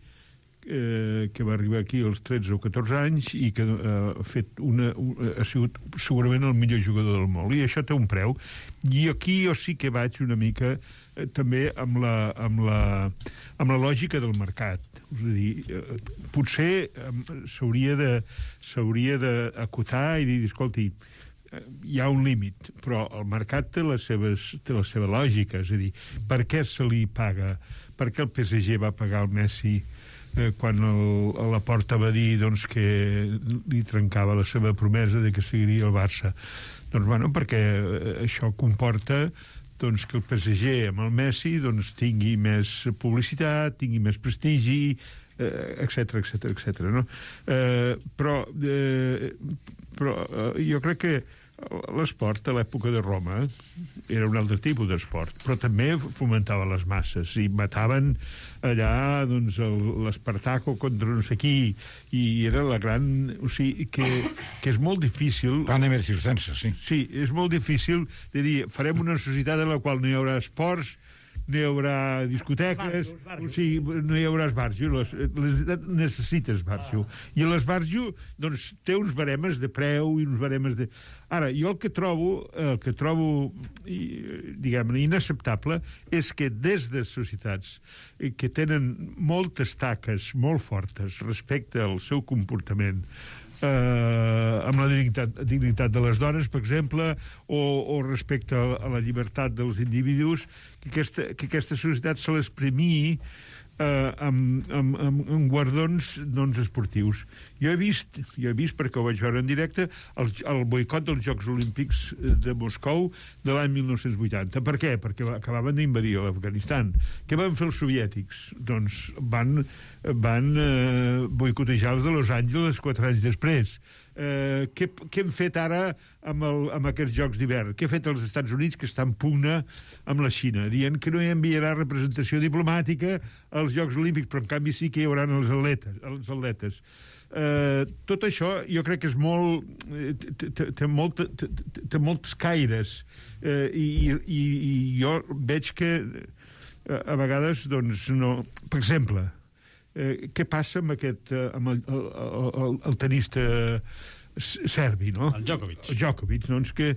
Eh, que va arribar aquí als tretze o catorze anys i que eh, ha fet una, una, ha sigut segurament el millor jugador del món, i això té un preu. I aquí jo sí que vaig una mica eh, també amb la, amb, la, amb la lògica del mercat. És a dir, eh, potser eh, s'hauria de s'hauria d'acotar i dir, escolti, eh, hi ha un límit, però el mercat té, les seves, té la seva lògica. És a dir, per què se li paga? Per què el P S G va pagar el Messi Eh, quan el, la Porta va dir doncs, que li trencava la seva promesa de que seguiria el Barça? Doncs, bueno, perquè eh, això comporta doncs, que el P S G amb el Messi doncs, tingui més publicitat, tingui més prestigi, etcètera, etcètera, etcètera. No? Eh, però eh, però eh, jo crec que l'esport a l'època de Roma era un altre tipus d'esport, però també fomentava les masses i mataven allà doncs, l'Espartaco contra no sé qui, i era la gran... O sigui, que, que és molt difícil... Van haver circenses, sí. Sí, és molt difícil de dir, farem una societat en la qual no hi haurà esports, no hi haurà discoteques, o sigui, no hi haurà esbarjo. La societat necessita esbarjo. I l'esbarjo, doncs, té uns baremes de preu i uns baremes de... Ara, jo el que trobo, el que trobo, diguem-ne, inacceptable és que des de societats que tenen moltes taques molt fortes respecte al seu comportament, eh, amb la dignitat, dignitat de les dones, per exemple, o, o respecte a, a la llibertat dels individus, que aquesta, que aquesta societat se les premiï eh, amb, amb, amb, amb guardons doncs, esportius. Jo he vist, jo he vist, perquè ho vaig veure en directe, el, el boicot dels Jocs Olímpics de Moscou de l'any mil nou-cents vuitanta. Per què? Perquè acabaven d'invadir l'Afganistan. Què van fer els soviètics? Doncs van, van eh, boicotejar els de Los Angeles quatre anys després. Eh, què, què hem fet ara amb, el, amb aquests Jocs d'hivern? Què ha fet els Estats Units, que està en pugna amb la Xina, dient que no hi enviarà representació diplomàtica als Jocs Olímpics, però en canvi sí que hi haurà els atletes. Els atletes. Eh, tot això jo crec que és molt... té, té, molt, té, té molts caires, eh, i, i, i jo veig que a vegades, doncs, no... Per exemple, Eh, què passa amb aquest eh, amb el, el, el, el tenista serbi, no? El Djokovic. El Djokovic, doncs que,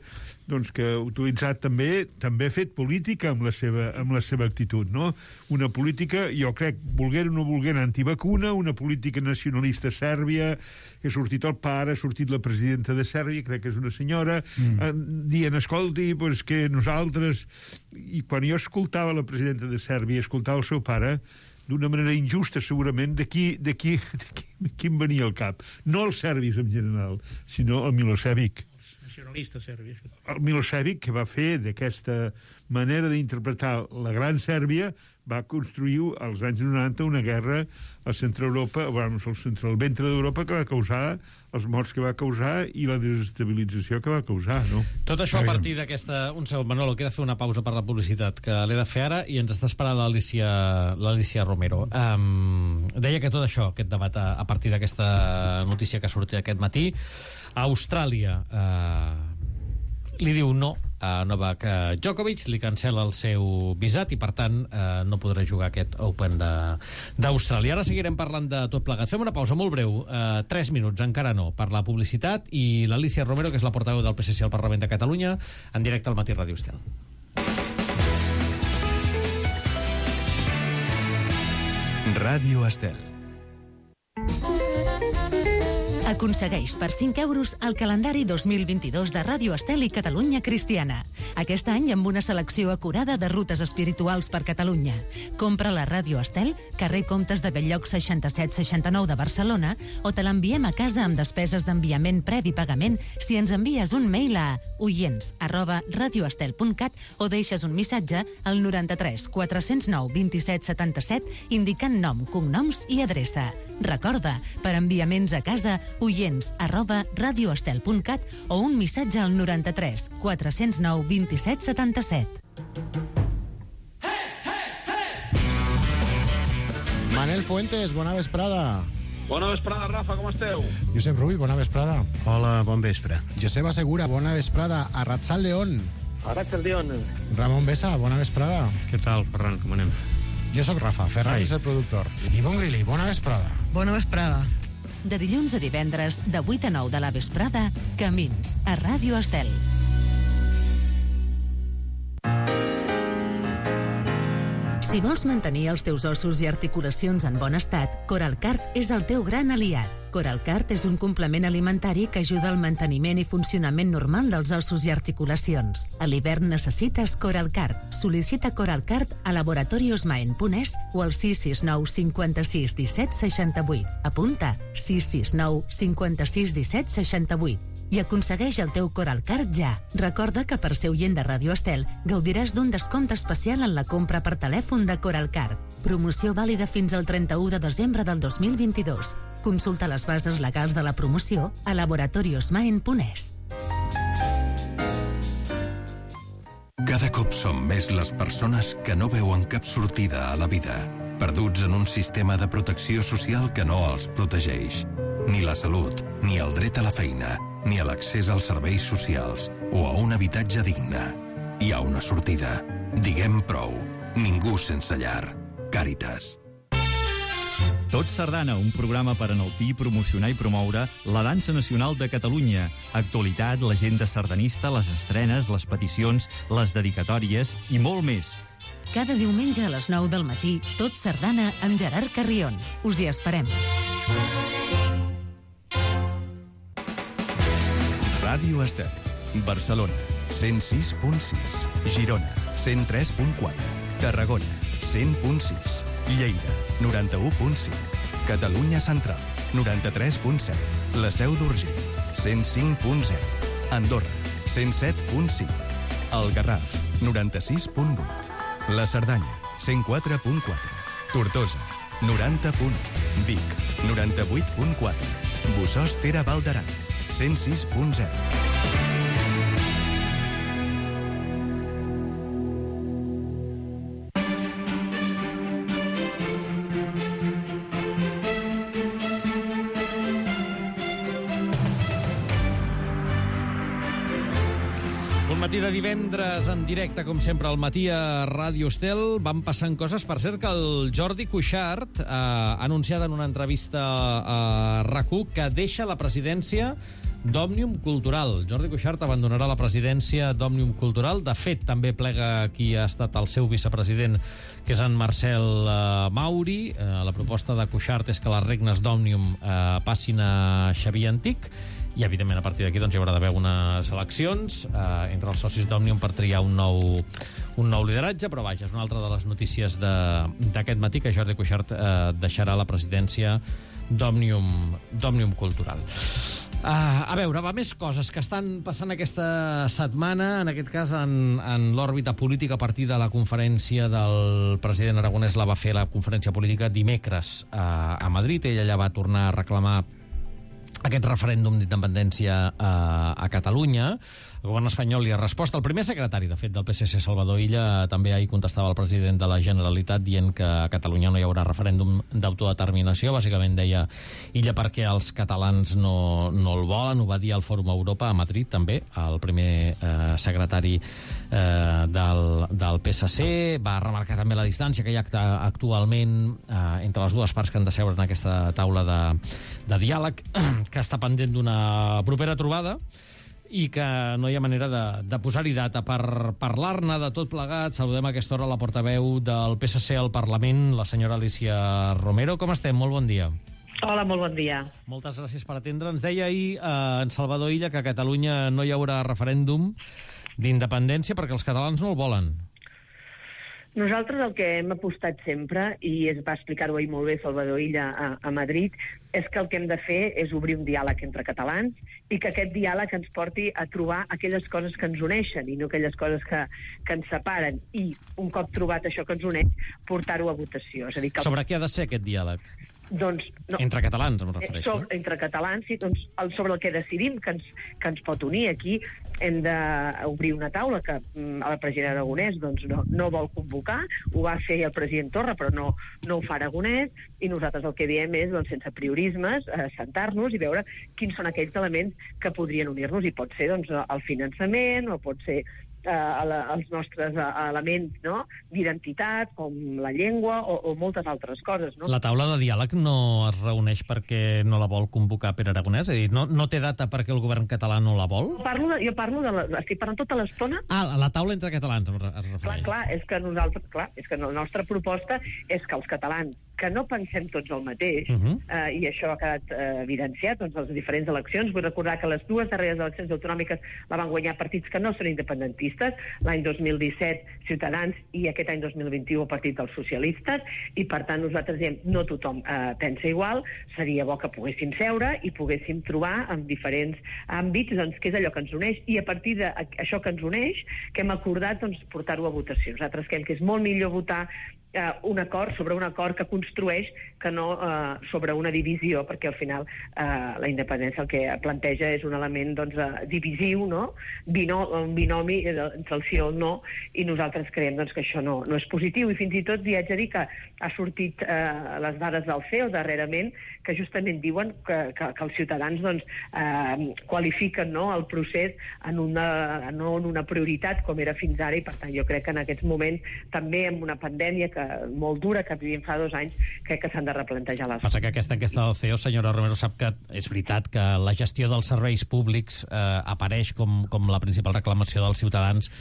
doncs que ha utilitzat també, també ha fet política amb la seva, amb la seva actitud, no? Una política, jo crec, volguent o no volguent, antivacuna, una política nacionalista sèrbia, que ha sortit el pare, ha sortit la presidenta de Sèrbia, crec que és una senyora, mm. dient, escolti, doncs que nosaltres... I quan jo escoltava la presidenta de Sèrbia, escoltava el seu pare, d'una manera injusta, segurament, de qui, de qui, de qui, de qui em venia al cap. No els serbis en general, sinó el Milosevic. Nacionalista serbi. El Milosevic, que va fer d'aquesta manera d'interpretar la Gran Sèrbia, va construir als anys noranta una guerra al centre d'Europa, bueno, al centre del ventre d'Europa, que va causar els morts que va causar i la desestabilització que va causar, no? Tot això a partir d'aquesta... Un segon, Manolo, queda fer una pausa per la publicitat, que l'he de fer ara, i ens està esperant l'Alicia Romero. Um, deia que tot això, aquest debat, a, a partir d'aquesta notícia que ha sortit aquest matí, a Austràlia uh, li diu no a Novak Djokovic, li cancela el seu visat i, per tant, eh, no podrà jugar aquest Open d'Austràlia. Ara seguirem parlant de tot plegat. Fem una pausa molt breu, eh, tres minuts, encara no, per la publicitat, i l'Alicia Romero, que és la portaveu del P S C al Parlament de Catalunya, en directe al Matí Ràdio Estel. Ràdio Estel. Aconsegueix per cinc euros el calendari dos mil vint-i-dos de Ràdio Estel i Catalunya Cristiana. Aquest any amb una selecció acurada de rutes espirituals per Catalunya. Compra la Ràdio Estel, carrer Comtes de Belllloc seixanta-set seixanta-nou de Barcelona, o te l'enviem a casa amb despeses d'enviament previ pagament si ens envies un mail a oients arroba radioestel punt cat o deixes un missatge al noranta-tres quatre-cents nou vint-i-set setanta-set indicant nom, cognoms i adreça. Recorda, per enviaments a casa, oients arroba radioestel punt cat o un missatge al noranta-tres quatre-cents nou vint-i-set setanta-set. Manel Fuentes, bona vesprada. Bona vesprada, Rafa, com esteu? Josep Rull, bona vesprada. Hola, bon vespre. Josep Segura, bona vesprada. Arratsaldeon. Arratsaldeon. Ramon Besa, bona vesprada. Què tal, Ferran, com anem? Jo sóc Rafa, Ferran és el productor. Ivonne Grilli, bona vesprada. Bona vesprada. De dilluns a divendres, de vuit a nou de la vesprada, Camins, a Ràdio Estel. Si vols mantenir els teus ossos i articulacions en bon estat, Coralcart és el teu gran aliat. Coralcart és un complement alimentari que ajuda al manteniment i funcionament normal dels ossos i articulacions. A l'hivern necessites Coralcart. Sol·licita Coralcart a laboratorios maen punt es o al sis sis nou cinquanta-sis disset seixanta-vuit. Apunta, sis sis nou cinquanta-sis disset seixanta-vuit. I aconsegueix el teu Coralcart ja. Recorda que per ser oient de Ràdio Estel gaudiràs d'un descompte especial en la compra per telèfon de Coralcart. Promoció vàlida fins al trenta-u de desembre del dos mil vint-i-dos. Consulta les bases legals de la promoció a laboratorios maen punt es. Cada cop som més les persones que no veuen cap sortida a la vida, perduts en un sistema de protecció social que no els protegeix. Ni la salut, ni el dret a la feina, ni a l'accés als serveis socials o a un habitatge digne. Hi ha una sortida. Diguem prou. Ningú sense llar. Càritas. Tot Sardana, un programa per enaltir, promocionar i promoure la dansa nacional de Catalunya. Actualitat, l'agenda sardanista, les estrenes, les peticions, les dedicatòries i molt més. Cada diumenge a les nou del matí, Tot Sardana amb Gerard Carrion. Us hi esperem. Ràdio Estel, Barcelona, cent sis punt sis, Girona, cent tres punt quatre, Tarragona, cent punt sis, Lleida, noranta-u punt cinc, Catalunya Central, noranta-tres punt set, La Seu d'Urgell, cent cinc punt zero, Andorra, cent set punt cinc, El Garraf, noranta-sis punt vuit, La Cerdanya, cent quatre punt quatre, Tortosa, noranta punt u, Vic, noranta-vuit punt quatre, Bossòst Tere Val d'Aran, cent sis punt zero. Matí de divendres en directe, com sempre, al matí a Ràdio Estel. Van passant coses. Per cert, que el Jordi Cuixart eh, ha anunciat en una entrevista a RAC1 que deixa la presidència d'Òmnium Cultural. Jordi Cuixart abandonarà la presidència d'Òmnium Cultural. De fet, també plega qui ha estat el seu vicepresident, que és en Marcel eh, Mauri. Eh, la proposta de Cuixart és que les regnes d'Òmnium eh, passin a Xavier Antic i evidentment a partir d'aquí doncs, hi haurà d'haver unes eleccions eh, entre els socis d'Òmnium per triar un nou, un nou lideratge, però vaja, és una altra de les notícies d'aquest matí, que Jordi Cuixart eh, deixarà la presidència d'Òmnium Cultural. Uh, a veure, va, més coses que estan passant aquesta setmana, en aquest cas en, en l'òrbita política, a partir de la conferència del president Aragonès. La va fer la conferència política dimecres a, a Madrid. Ella ja va tornar a reclamar aquest referèndum d'independència a, a Catalunya. El govern espanyol li ha respost. El primer secretari, de fet, del P S C, Salvador Illa, també ahir contestava al president de la Generalitat dient que a Catalunya no hi haurà referèndum d'autodeterminació. Bàsicament deia Illa perquè els catalans no, no el volen. Ho va dir al Fòrum Europa a Madrid, també, el primer eh, secretari eh, del, del P S C. Va remarcar també la distància que hi ha actualment eh, entre les dues parts que han de seure en aquesta taula de, de diàleg, que està pendent d'una propera trobada, i que no hi ha manera de, de posar-hi data. Per parlar-ne de tot plegat, saludem a aquesta hora la portaveu del P S C al Parlament, la senyora Alicia Romero. Com estem? Molt bon dia. Hola, molt bon dia. Moltes gràcies per atendre. Ens deia ahir eh, en Salvador Illa que a Catalunya no hi haurà referèndum d'independència perquè els catalans no el volen. Nosaltres el que hem apostat sempre, i es va explicar-ho ahir molt bé Salvador Illa a, a Madrid, és que el que hem de fer és obrir un diàleg entre catalans i que aquest diàleg ens porti a trobar aquelles coses que ens uneixen i no aquelles coses que, que ens separen. I un cop trobat això que ens uneix, portar-ho a votació. És a dir, que... Sobre què ha de ser aquest diàleg? Doncs, no. Entre catalans, em refereixo. So, entre catalans, sí, doncs, el, sobre el que decidim que ens, que ens pot unir. Aquí hem d'obrir una taula que mm, el president Aragonès doncs, no, no vol convocar. Ho va fer el president Torra, però no, no ho fa Aragonès, i nosaltres el que diem és, doncs, sense priorismes, eh, sentar-nos i veure quins són aquells elements que podrien unir-nos, i pot ser doncs, el finançament, o pot ser eh, els nostres eh, elements, no?, d'identitat, com la llengua o, o moltes altres coses. No? La taula de diàleg no es reuneix perquè no la vol convocar Pere Aragonès? És a dir, no, no té data perquè el govern català no la vol? Parlo de, jo parlo de la, estic parlant tota l'estona... Ah, la taula entre catalans es refereix. Clar, clar, és que nosaltres, clar, és que la nostra proposta és que els catalans que no pensem tots el mateix, uh-huh. eh, i això ha quedat eh, evidenciat doncs, les diferents eleccions. Vull recordar que les dues darreres eleccions autonòmiques la van guanyar partits que no són independentistes, l'any dos mil disset Ciutadans i aquest any dos mil vint-i-u el Partit dels Socialistes, i per tant nosaltres diem no tothom eh, pensa igual, seria bo que poguéssim seure i poguéssim trobar en diferents àmbits doncs, què és allò que ens uneix, i a partir d'això que ens uneix, que hem acordat doncs, portar-ho a votació. Nosaltres creiem que és molt millor votar eh, un acord sobre un acord que construeix que no eh, sobre una divisió, perquè al final eh, la independència el que planteja és un element doncs, eh, divisiu, no? Bino, un binomi entre el sí o el no, i nosaltres creiem doncs, que això no, no és positiu, i fins i tot li haig de dir que ha sortit eh, les dades del C E O darrerament que justament diuen que, que, que els ciutadans doncs, eh, qualifiquen no, el procés en una, no en una prioritat com era fins ara, i per tant jo crec que en aquests moments també amb una pandèmia que, molt dura que vivim fa dos anys, crec que s'han de replantejar les... Passa que aquesta enquesta del C E O, senyora Romero, sap que és veritat que la gestió dels serveis públics eh, apareix com, com la principal reclamació dels ciutadans,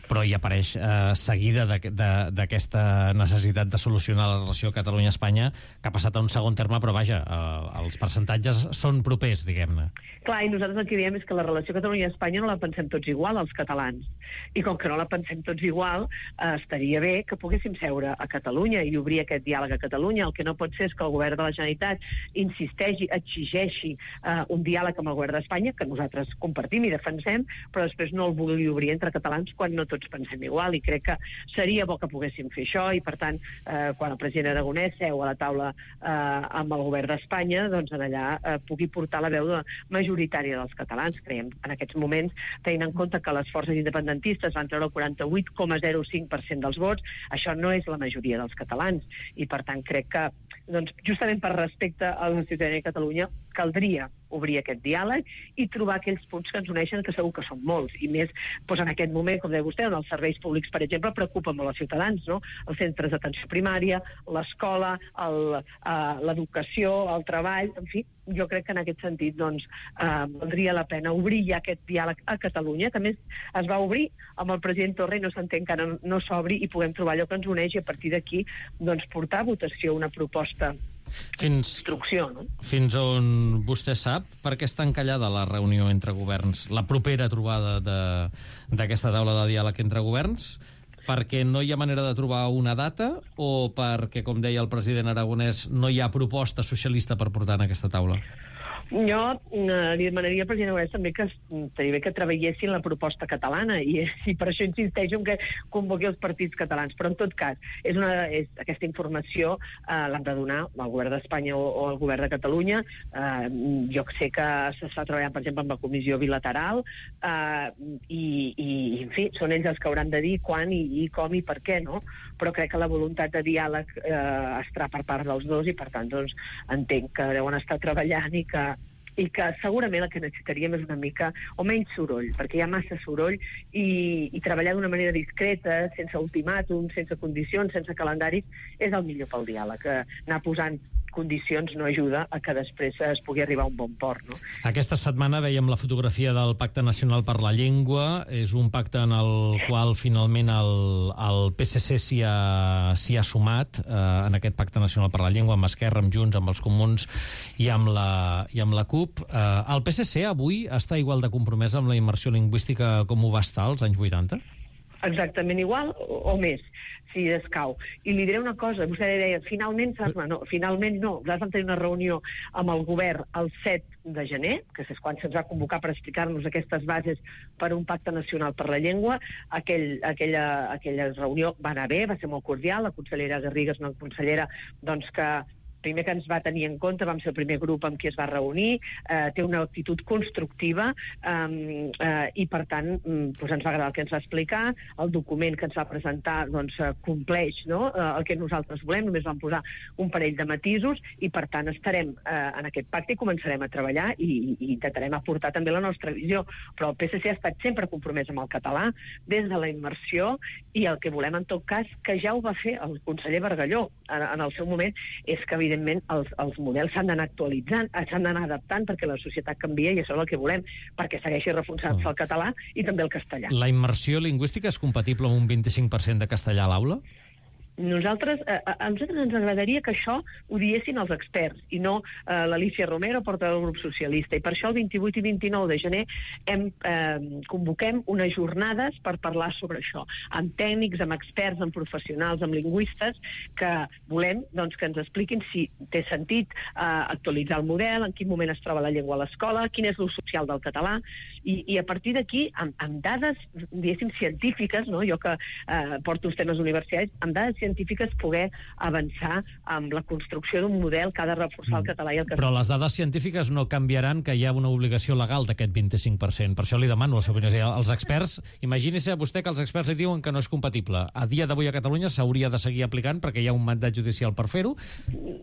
però hi apareix eh, seguida d'aquesta necessitat de solucionar la relació Catalunya-Espanya, que ha passat a un segon terme, però vaja, eh, els percentatges són propers, diguem-ne. Clar, i nosaltres el que diem és que la relació Catalunya-Espanya no la pensem tots igual, els catalans. I com que no la pensem tots igual, eh, estaria bé que poguéssim seure a Catalunya i obrir aquest diàleg a Catalunya. El que no pot ser és que el govern de la Generalitat insisteixi, exigeixi eh, un diàleg amb el govern d'Espanya, que nosaltres compartim i defensem, però després no el vulgui obrir entre catalans quan no tots pensem igual, i crec que seria bo que poguéssim fer això, i per tant eh, quan el president Aragonès seu a la taula eh, amb el govern d'Espanya, doncs en allà eh, pugui portar la veu majoritària dels catalans. Creiem en aquests moments, tenint en compte que les forces independentistes van treure el quaranta-vuit coma zero cinc per cent dels vots, això no és la majoria dels catalans, i per tant crec que doncs, justament per respecte a la ciutadania de Catalunya caldria obrir aquest diàleg i trobar aquells punts que ens uneixen, que segur que són molts, i més doncs, en aquest moment, com deia vostè, on els serveis públics, per exemple, preocupen molt els ciutadans, no? Els centres d'atenció primària, l'escola, l'educació, el treball, en fi, jo crec que en aquest sentit doncs, eh, valdria la pena obrir ja aquest diàleg a Catalunya, que a més es va obrir amb el president Torra i no s'entén que no, no s'obri, i puguem trobar allò que ens uneix, i a partir d'aquí doncs, portar a votació una proposta fins, instrucció. No? Fins on vostè sap per què està encallada la reunió entre governs, la propera trobada d'aquesta taula de diàleg entre governs? Perquè no hi ha manera de trobar una data o perquè, com deia el president Aragonès, no hi ha proposta socialista per portar en aquesta taula? Jo eh, li demanaria al president Aragonès també que estaria bé que treballessin la proposta catalana i, i per això insisteixo en que convoqui els partits catalans. Però en tot cas, és una, és, aquesta informació eh, l'han de donar al govern d'Espanya o, o al govern de Catalunya. Eh, jo sé que s'està treballant, per exemple, amb la comissió bilateral eh, i, i, en fi, són ells els que hauran de dir quan i, i com i per què, no? Però crec que la voluntat de diàleg eh, estarà per part dels dos i, per tant, doncs, entenc que deuen estar treballant i que i que segurament el que necessitaríem és una mica o menys soroll, perquè hi ha massa soroll i, i treballar d'una manera discreta, sense ultimàtum, sense condicions, sense calendaris, és el millor pel diàleg. Anar posant condicions no ajuda a que després es pugui arribar a un bon port. No? Aquesta setmana veiem la fotografia del Pacte Nacional per la Llengua. És un pacte en el qual finalment el, el P S C s'hi ha, s'hi ha sumat, eh, en aquest Pacte Nacional per la Llengua, amb Esquerra, amb Junts, amb els Comuns i amb la, i amb la CUP. Eh, el P S C avui està igual de compromès amb la immersió lingüística com ho va estar als anys vuitanta? Exactament igual o, o més, si escau. I li diré una cosa, vostè deia, finalment, no, finalment no, nosaltres vam tenir una reunió amb el govern el set de gener, que és quan se'ns va convocar per explicar-nos aquestes bases per un pacte nacional per la llengua. Aquell, aquella, aquella reunió va anar bé, va ser molt cordial, la consellera Garriga és una consellera doncs, que primer que ens va tenir en compte, vam ser el primer grup amb qui es va reunir, eh, té una actitud constructiva eh, eh, i, per tant, doncs ens va agradar el que ens va explicar, el document que ens va presentar doncs, compleix no? eh, el que nosaltres volem, només vam posar un parell de matisos i, per tant, estarem eh, en aquest pacte i començarem a treballar i, i intentarem aportar també la nostra visió. Però el P S C ha estat sempre compromès amb el català des de la immersió i el que volem, en tot cas, que ja ho va fer el conseller Bargalló en, en el seu moment, és que, evidentment, els, els models s'han d'anar actualitzant, s'han d'anar adaptant perquè la societat canvia i això és el que volem, perquè segueixi reforçant-se el català i també el castellà. La immersió lingüística és compatible amb un vint-i-cinc per cent de castellà a l'aula? Nosaltres, eh, a nosaltres ens agradaria que això ho diessin els experts i no eh, l'Alicia Romero, portaveu del grup socialista. I per això el vint-i-vuit i vint-i-nou de gener hem, eh, convoquem unes jornades per parlar sobre això, amb tècnics, amb experts, amb professionals, amb lingüistes, que volem doncs, que ens expliquin si té sentit eh, actualitzar el model, en quin moment es troba la llengua a l'escola, quin és l'ús social del català, i, i a partir d'aquí, amb, amb dades, diguéssim, científiques, no? Jo que eh, porto els temes universitaris, amb dades científiques científiques poder avançar amb la construcció d'un model que ha de reforçar el català i el castellà. Però les dades científiques no canviaran que hi ha una obligació legal d'aquest vint-i-cinc per cent. Per això li demano la seva opinió. Els experts, imagini-se vostè que els experts li diuen que no és compatible. A dia d'avui a Catalunya s'hauria de seguir aplicant perquè hi ha un mandat judicial per fer-ho,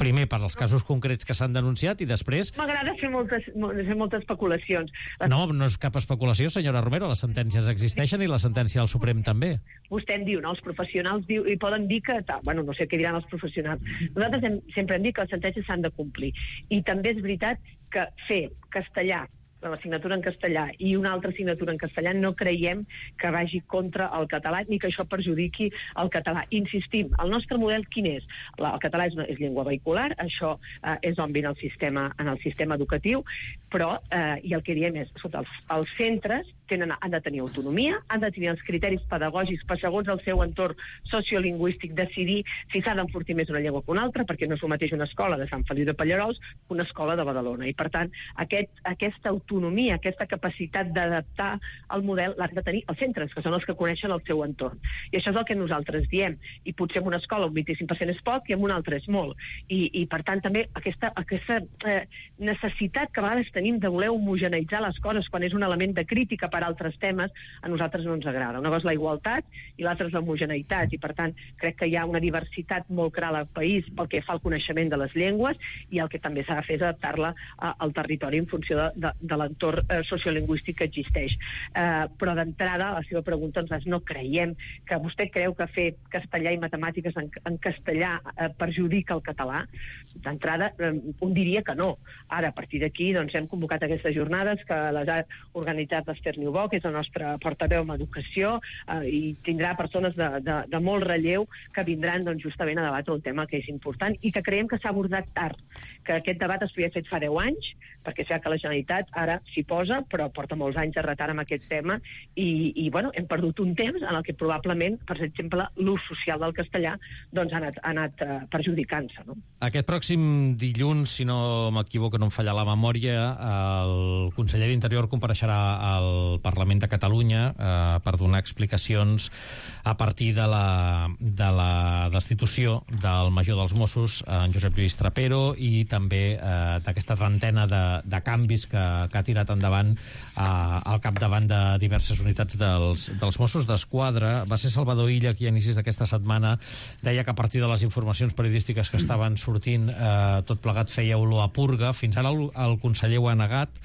primer per als casos concrets que s'han denunciat i després... M'agrada fer moltes, fer moltes especulacions. No, no és cap especulació, senyora Romero. Les sentències existeixen i la sentència del Suprem també. Vostè em diu, no? Els professionals diu, i poden dir que bueno, no sé què diran els professionals. Nosaltres hem, sempre hem dit que les sentències s'han de complir. I també és veritat que fer castellà, l'assignatura en castellà i una altra assignatura en castellà no creiem que vagi contra el català ni que això perjudiqui el català. Insistim, el nostre model quin és? El català és, una, és llengua vehicular, això eh, és obvi en el sistema, en el sistema educatiu, però, eh, i el que diem és, escolta, els, els centres tenen, han de tenir autonomia, han de tenir els criteris pedagògics per, segons el seu entorn sociolingüístic, decidir si s'ha d'enfortir més una llengua que una altra, perquè no és el mateix una escola de Sant Feliu de Pallerols que una escola de Badalona. I, per tant, aquest, aquesta autonomia, aquesta capacitat d'adaptar el model l'han de tenir els centres, que són els que coneixen el seu entorn. I això és el que nosaltres diem. I potser en una escola un vint-i-cinc per cent és poc i en una altra és molt. I, i per tant, també aquesta, aquesta eh, necessitat que a vegades tenim de voler homogeneïtzar les coses quan és un element de crítica per altres temes, a nosaltres no ens agrada. Una cosa és la igualtat i l'altra és l'homogeneïtat, i per tant crec que hi ha una diversitat molt clara al país pel que fa al coneixement de les llengües, i el que també s'ha de fer és adaptar-la al territori en funció de, de, de l'entorn eh, sociolingüístic que existeix. Eh, però d'entrada, a la seva pregunta, nosaltres no creiem que vostè creu que fer castellà i matemàtiques en, en castellà eh, perjudica el català. D'entrada, eh, un diria que no. Ara, a partir d'aquí, doncs, hem convocat aquestes jornades, que les ha organitzat l'Ester Niubó, que és el nostre portaveu en educació, eh, i tindrà persones de, de, de molt relleu que vindran doncs, justament a debatre un tema que és important i que creiem que s'ha abordat tard, que aquest debat es podia fet fa deu anys, perquè és que la Generalitat ara s'hi posa, però porta molts anys de retard amb aquest tema i, i bueno, hem perdut un temps en el que probablement, per exemple, l'ús social del castellà doncs, ha anat, ha anat uh, perjudicant-se. No? Aquest pròxim dilluns, si no m'equivoco, no em falla la memòria, el conseller d'Interior compareixerà al Parlament de Catalunya eh, per donar explicacions a partir de la, de la destitució del major dels Mossos, en Josep Lluís Trapero, i també eh, d'aquesta trentena de, de canvis que, que ha tirat endavant eh, al capdavant de diverses unitats dels, dels Mossos d'Esquadra. Va ser Salvador Illa qui a inicis d'aquesta setmana deia que a partir de les informacions periodístiques que estaven sortint eh, tot plegat feia olor a purga. Fins ara el, el conseller ho ha negat.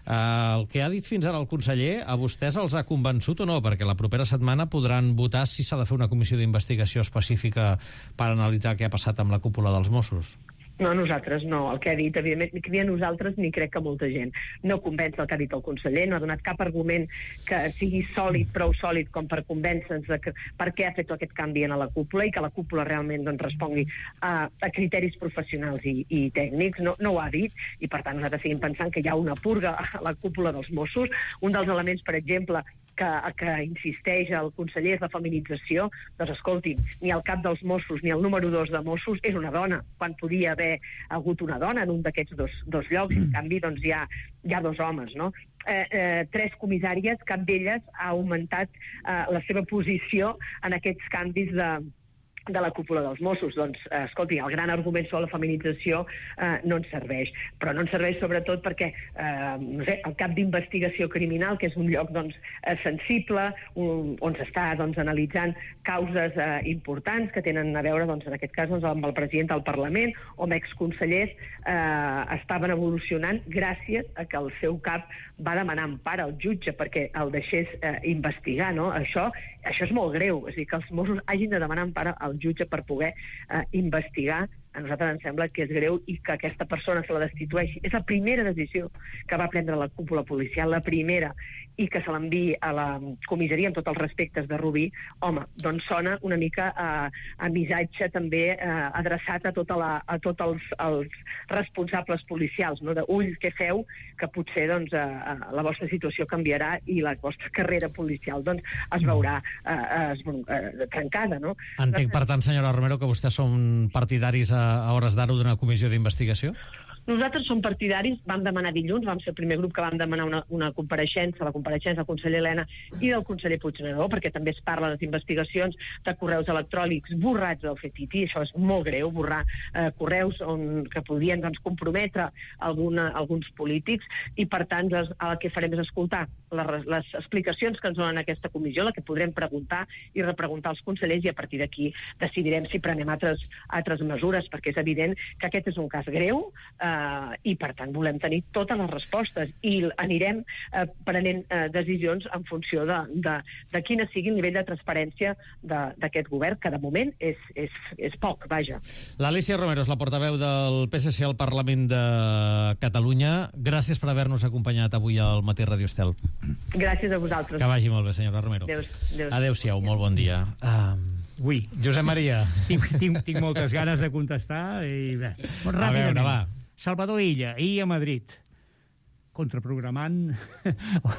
Eh, el que ha dit fins ara el conseller, a vostès els ha convençut o no? Perquè la propera setmana podran votar si s'ha de fer una comissió d'investigació específica per analitzar què ha passat amb la cúpula dels Mossos. No, nosaltres no. El que ha dit, evidentment, ni a nosaltres ni crec que molta gent. No convenç el que ha dit el conseller, no ha donat cap argument que sigui sòlid, prou sòlid com per convèncer-nos de que, per què ha fet aquest canvi a la cúpula i que la cúpula realment doncs, respongui a, a criteris professionals i, i tècnics. No, no ho ha dit i, per tant, nosaltres seguim pensant que hi ha una purga a la cúpula dels Mossos. Un dels elements, per exemple, que, que insisteix el conseller és la feminització. Doncs escolti'm, ni el cap dels Mossos ni el número dos de Mossos és una dona, quan podia haver hagut una dona en un d'aquests dos, dos llocs, i en canvi doncs, hi, ha, hi ha dos homes, no? Eh, eh, tres comissàries, cap d'elles ha augmentat eh, la seva posició en aquests canvis de de la cúpula dels Mossos. Doncs, eh, escolti, el gran argument sobre la feminització eh, no ens serveix. Però no ens serveix sobretot perquè, eh, no sé, el cap d'investigació criminal, que és un lloc doncs, eh, sensible, un, on s'està doncs, analitzant causes eh, importants que tenen a veure, doncs, en aquest cas, doncs, amb el president del Parlament o amb exconsellers, eh, estaven evolucionant gràcies a que el seu cap va demanar empara al jutge perquè el deixés eh, investigar, no? Això, això és molt greu, és a dir, que els Mossos hagin de demanar empara al jutge per poder eh, investigar. A nosaltres ens sembla que és greu i que aquesta persona se la destitueixi. És la primera decisió que va prendre la cúpula policial, la primera, i que se l'enviï a la comissaria amb tots els respectes de Rubí. Home, doncs sona una mica a, a missatge també eh, adreçat a, tota la, a tots els, els responsables policials, no? De ull, què feu, que potser doncs, eh, la vostra situació canviarà i la vostra carrera policial doncs, es veurà eh, es, eh, trencada. No? Entenc, per tant, senyora Romero, que vostès són partidaris a a hores d'ara d'una comissió d'investigació? Nosaltres som partidaris, vam demanar dilluns, vam ser el primer grup que vam demanar una, una compareixença, la compareixença del conseller Elena i del conseller Puigneró, perquè també es parla de les investigacions de correus electrònics borrats del Fetiti. Això és molt greu, borrar eh, correus on, que podien doncs, comprometre alguna, alguns polítics, i per tant les, el que farem és escoltar les, les explicacions que ens donen aquesta comissió, la que podrem preguntar i repreguntar als consellers, i a partir d'aquí decidirem si prenem altres, altres mesures, perquè és evident que aquest és un cas greu, eh, Uh, i per tant volem tenir totes les respostes i anirem uh, prenent uh, decisions en funció de, de, de quina sigui el nivell de transparència d'aquest govern, que de moment és, és, és poc, vaja. L'Alícia Romero és la portaveu del P S C al Parlament de Catalunya. Gràcies per haver-nos acompanyat avui al Matí Radio Estel. Gràcies a vosaltres. Que vagi molt bé, senyora Romero. Adéu-siau, molt bon dia. Uh... Ui. Josep Maria. Tinc, tinc, tinc moltes ganes de contestar i bé. Molt ràpidament. A veure, va. Salvador Illa, ahir a Madrid, contraprogramant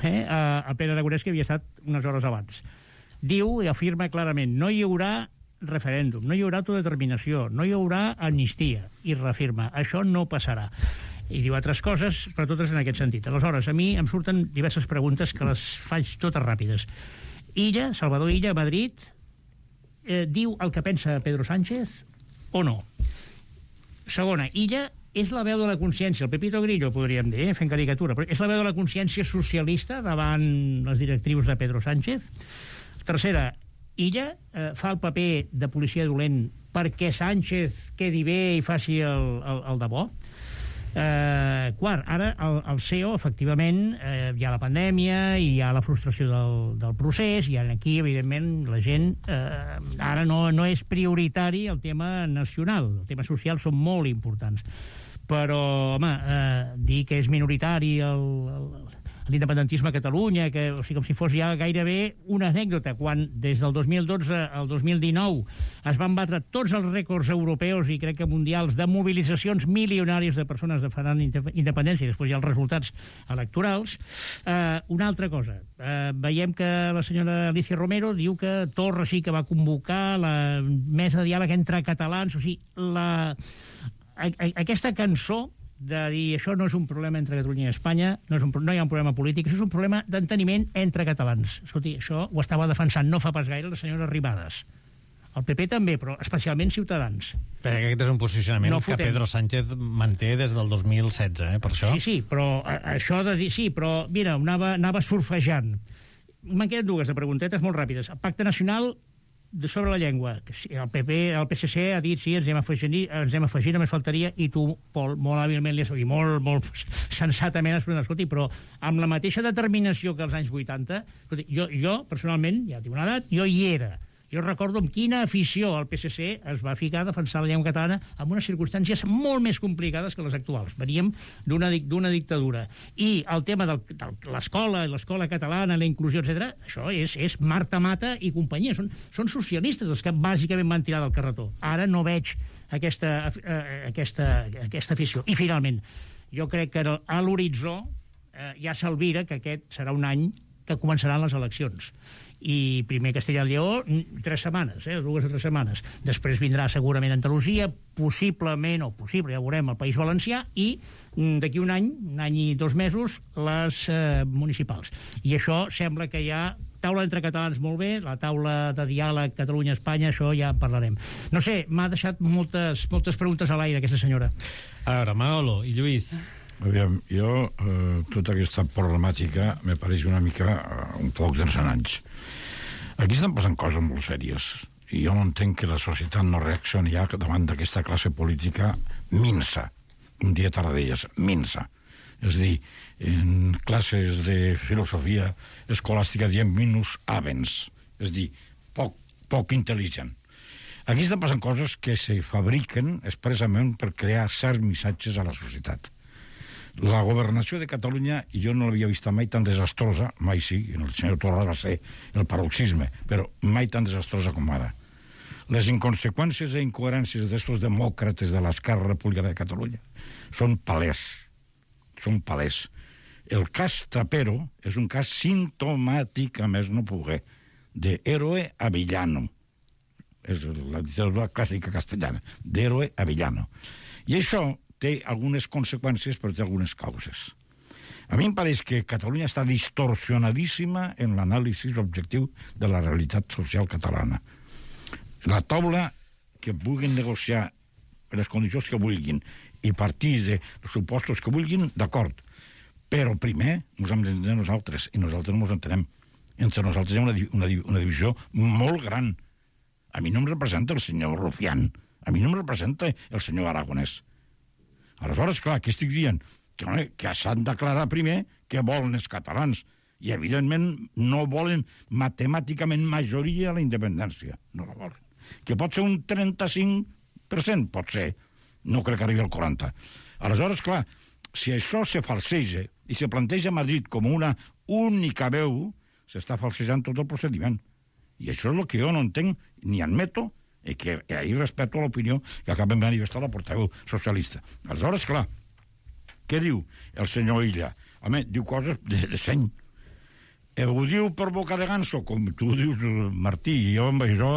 eh, a, a Pere Aragonès, que havia estat unes hores abans. Diu i afirma clarament: no hi haurà referèndum, no hi haurà autodeterminació, no hi haurà amnistia, i reafirma: això no passarà. I diu altres coses, però totes en aquest sentit. Aleshores, a mi em surten diverses preguntes que les faig totes ràpides. Illa, Salvador Illa, a Madrid, eh, diu el que pensa Pedro Sánchez o no? Segona, Illa és la veu de la consciència, el Pepito Grillo, podríem dir, eh, fent caricatura, però és la veu de la consciència socialista davant les directrius de Pedro Sánchez. Tercera, Illa eh, fa el paper de policia dolent perquè Sánchez quedi bé i faci el, el, el de bo. Eh, quart, ara el, el C E O, efectivament, eh, hi ha la pandèmia i hi ha la frustració del, del procés, i aquí, evidentment, la gent eh, ara no, no és prioritari el tema nacional, el tema social són molt importants. però, home, eh, dir que és minoritari el, el, l'independentisme a Catalunya, que, o sigui, com si fos ja gairebé una anècdota, quan des del dos mil dotze al dos mil dinou es van batre tots els rècords europeus i crec que mundials de mobilitzacions milionàries de persones demanant independència, i després hi ha els resultats electorals. Eh, una altra cosa, eh, veiem que la senyora Alicia Romero diu que Torra sí que va convocar la mesa de diàleg entre catalans, o sigui, la, a, a, aquesta cançó de dir això no és un problema entre Catalunya i Espanya, no, és un, no hi ha un problema polític, això és un problema d'enteniment entre catalans. Escolti, això ho estava defensant no fa pas gaire la senyora Arrimadas. El P P també, però especialment Ciutadans. Perquè aquest és un posicionament no que Pedro Sánchez manté des del dos mil setze, eh, per això. Sí, sí, però això de dir... Sí, però, mira, anava, anava surfejant. M'han quedat dues de preguntetes molt ràpides. El Pacte Nacional de sobre la llengua. El P P, el P S C ha dit sí, ens hem afegit, ens hem afegit, només faltaria, i tu, Pol, molt hàbilment li has dit, molt, molt sensatament has preguntat, escolti, però amb la mateixa determinació que als anys vuitanta, escolti, jo, jo, personalment, ja tinc una edat, jo hi era. Jo recordo amb quina afició el P S C es va ficar a defensar la llengua catalana en unes circumstàncies molt més complicades que les actuals. Veníem d'una d'una dictadura. I el tema de l'escola, l'escola catalana, la inclusió, etcètera, això és, és Marta Mata i companyia. Són, són socialistes els que bàsicament van tirar del carretó. Ara no veig aquesta, eh, aquesta, aquesta afició. I finalment, jo crec que a l'horitzó eh, ja s'alvira que aquest serà un any que començaran les eleccions. I primer Castella i Lleó, tres setmanes, eh, dues o tres setmanes. Després vindrà segurament Andalusia, possiblement, o possible, ja veurem, el País Valencià, i d'aquí un any, un any i dos mesos, les eh, municipals. I això sembla que hi ha taula entre catalans molt bé, la taula de diàleg Catalunya-Espanya, això ja en parlarem. No sé, m'ha deixat moltes, moltes preguntes a l'aire, aquesta senyora. A veure, Manolo i Lluís. Aviam, jo, eh, tota aquesta problemàtica me pareix una mica eh, un foc d'encenalls. Aquí estan passant coses molt sèries i jo no entenc que la societat no reaccioni ja davant d'aquesta classe política minsa, un dia Tarradellas, minsa. És a dir, en classes de filosofia escolàstica diem minus avens, és a dir, poc, poc intel·ligent. Aquí estan passant coses que se fabriquen expressament per crear certs missatges a la societat. La governació de Catalunya, i jo no l'havia vista mai tan desastrosa, mai sí, el senyor Torra va ser el paroxisme, però mai tan desastrosa com ara. Les inconseqüències i incoherències d'estos demòcrates de l'esquerra republicana de Catalunya són palès, són palès. El cas Trapero és un cas simptomàtic, a més no poguer, d'héroe a villano. És la literatura clàssica castellana, d'héroe a villano. I això té algunes conseqüències, però té algunes causes. A mi em pareix que Catalunya està distorsionadíssima en l'anàlisi objectiu de la realitat social catalana. La taula que vulguin negociar les condicions que vulguin i partir dels supostos que vulguin, d'acord. Però primer ens hem d'entendre nosaltres, i nosaltres no ens entenem. Entre nosaltres hi ha una, una, una divisió molt gran. A mi no em representa el senyor Rufián, a mi no em representa el senyor Aragonès. Aleshores, clar, què estic dient? Que, que s'han d'aclarar primer què volen els catalans. I, evidentment, no volen matemàticament majoria a la independència. No la volen. Que pot ser un trenta-cinc per cent, pot ser. No crec que arribi al quaranta per cent. Aleshores, clar, si això se falseja i se planteja a Madrid com una única veu, s'està falsejant tot el procediment. I això és el que jo no entenc ni admeto, i que ahir respecto a l'opinió que acabem de manifestar la portaveu socialista. Aleshores, clar, què diu el senyor Illa? Home, diu coses de, de seny. Eh, ho diu per boca de ganso, com tu dius, Martí, i jo amb això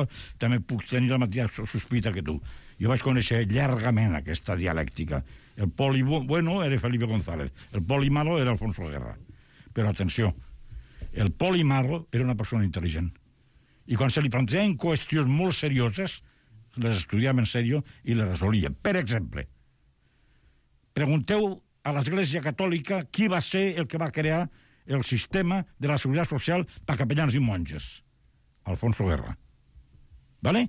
també puc tenir la mateixa sospita que tu. Jo vaig conèixer llargament aquesta dialèctica. El poli bueno era Felipe González, el poli malo era Alfonso Guerra. Però atenció, el poli malo era una persona intel·ligent. I quan se li plantejaven qüestions molt serioses, les estudiàvem en sèrio i les resolíem. Per exemple, pregunteu a l'Església Catòlica qui va ser el que va crear el sistema de la seguretat social per capellans i monges. Alfonso Guerra. Vale?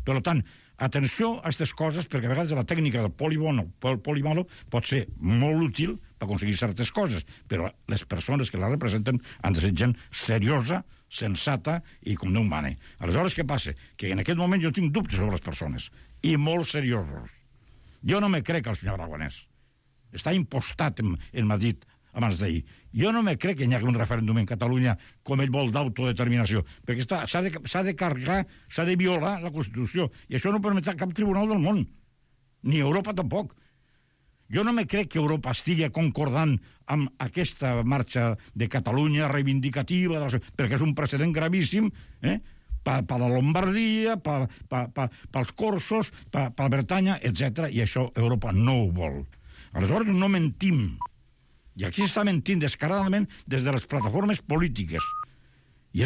Per tant, atenció a aquestes coses, perquè a vegades la tècnica del poli bueno o el poli malo pot ser molt útil per aconseguir certes coses, però les persones que la representen han de ser gent seriosa, sensata i com Déu mane. Aleshores, què passa? Que en aquest moment jo tinc dubtes sobre les persones, i molt seriosos. Jo no me crec el senyor Aragonès. Està impostat en, en Madrid abans d'ahir. Jo no me crec que hi hagi un referèndum en Catalunya com ell vol d'autodeterminació, perquè s'ha de, s'ha de carregar, s'ha de violar la Constitució, i això no permetrà cap tribunal del món, ni Europa tampoc. Jo no me crec que Europa estigui concordant amb aquesta marxa de Catalunya reivindicativa, perquè és un precedent gravíssim, eh? per, per la Lombardia, per, per, per, pels Corsos, per, per Bretanya, etcètera, i això Europa no ho vol. Aleshores no mentim. I aquí s'està mentint descaradament des de les plataformes polítiques.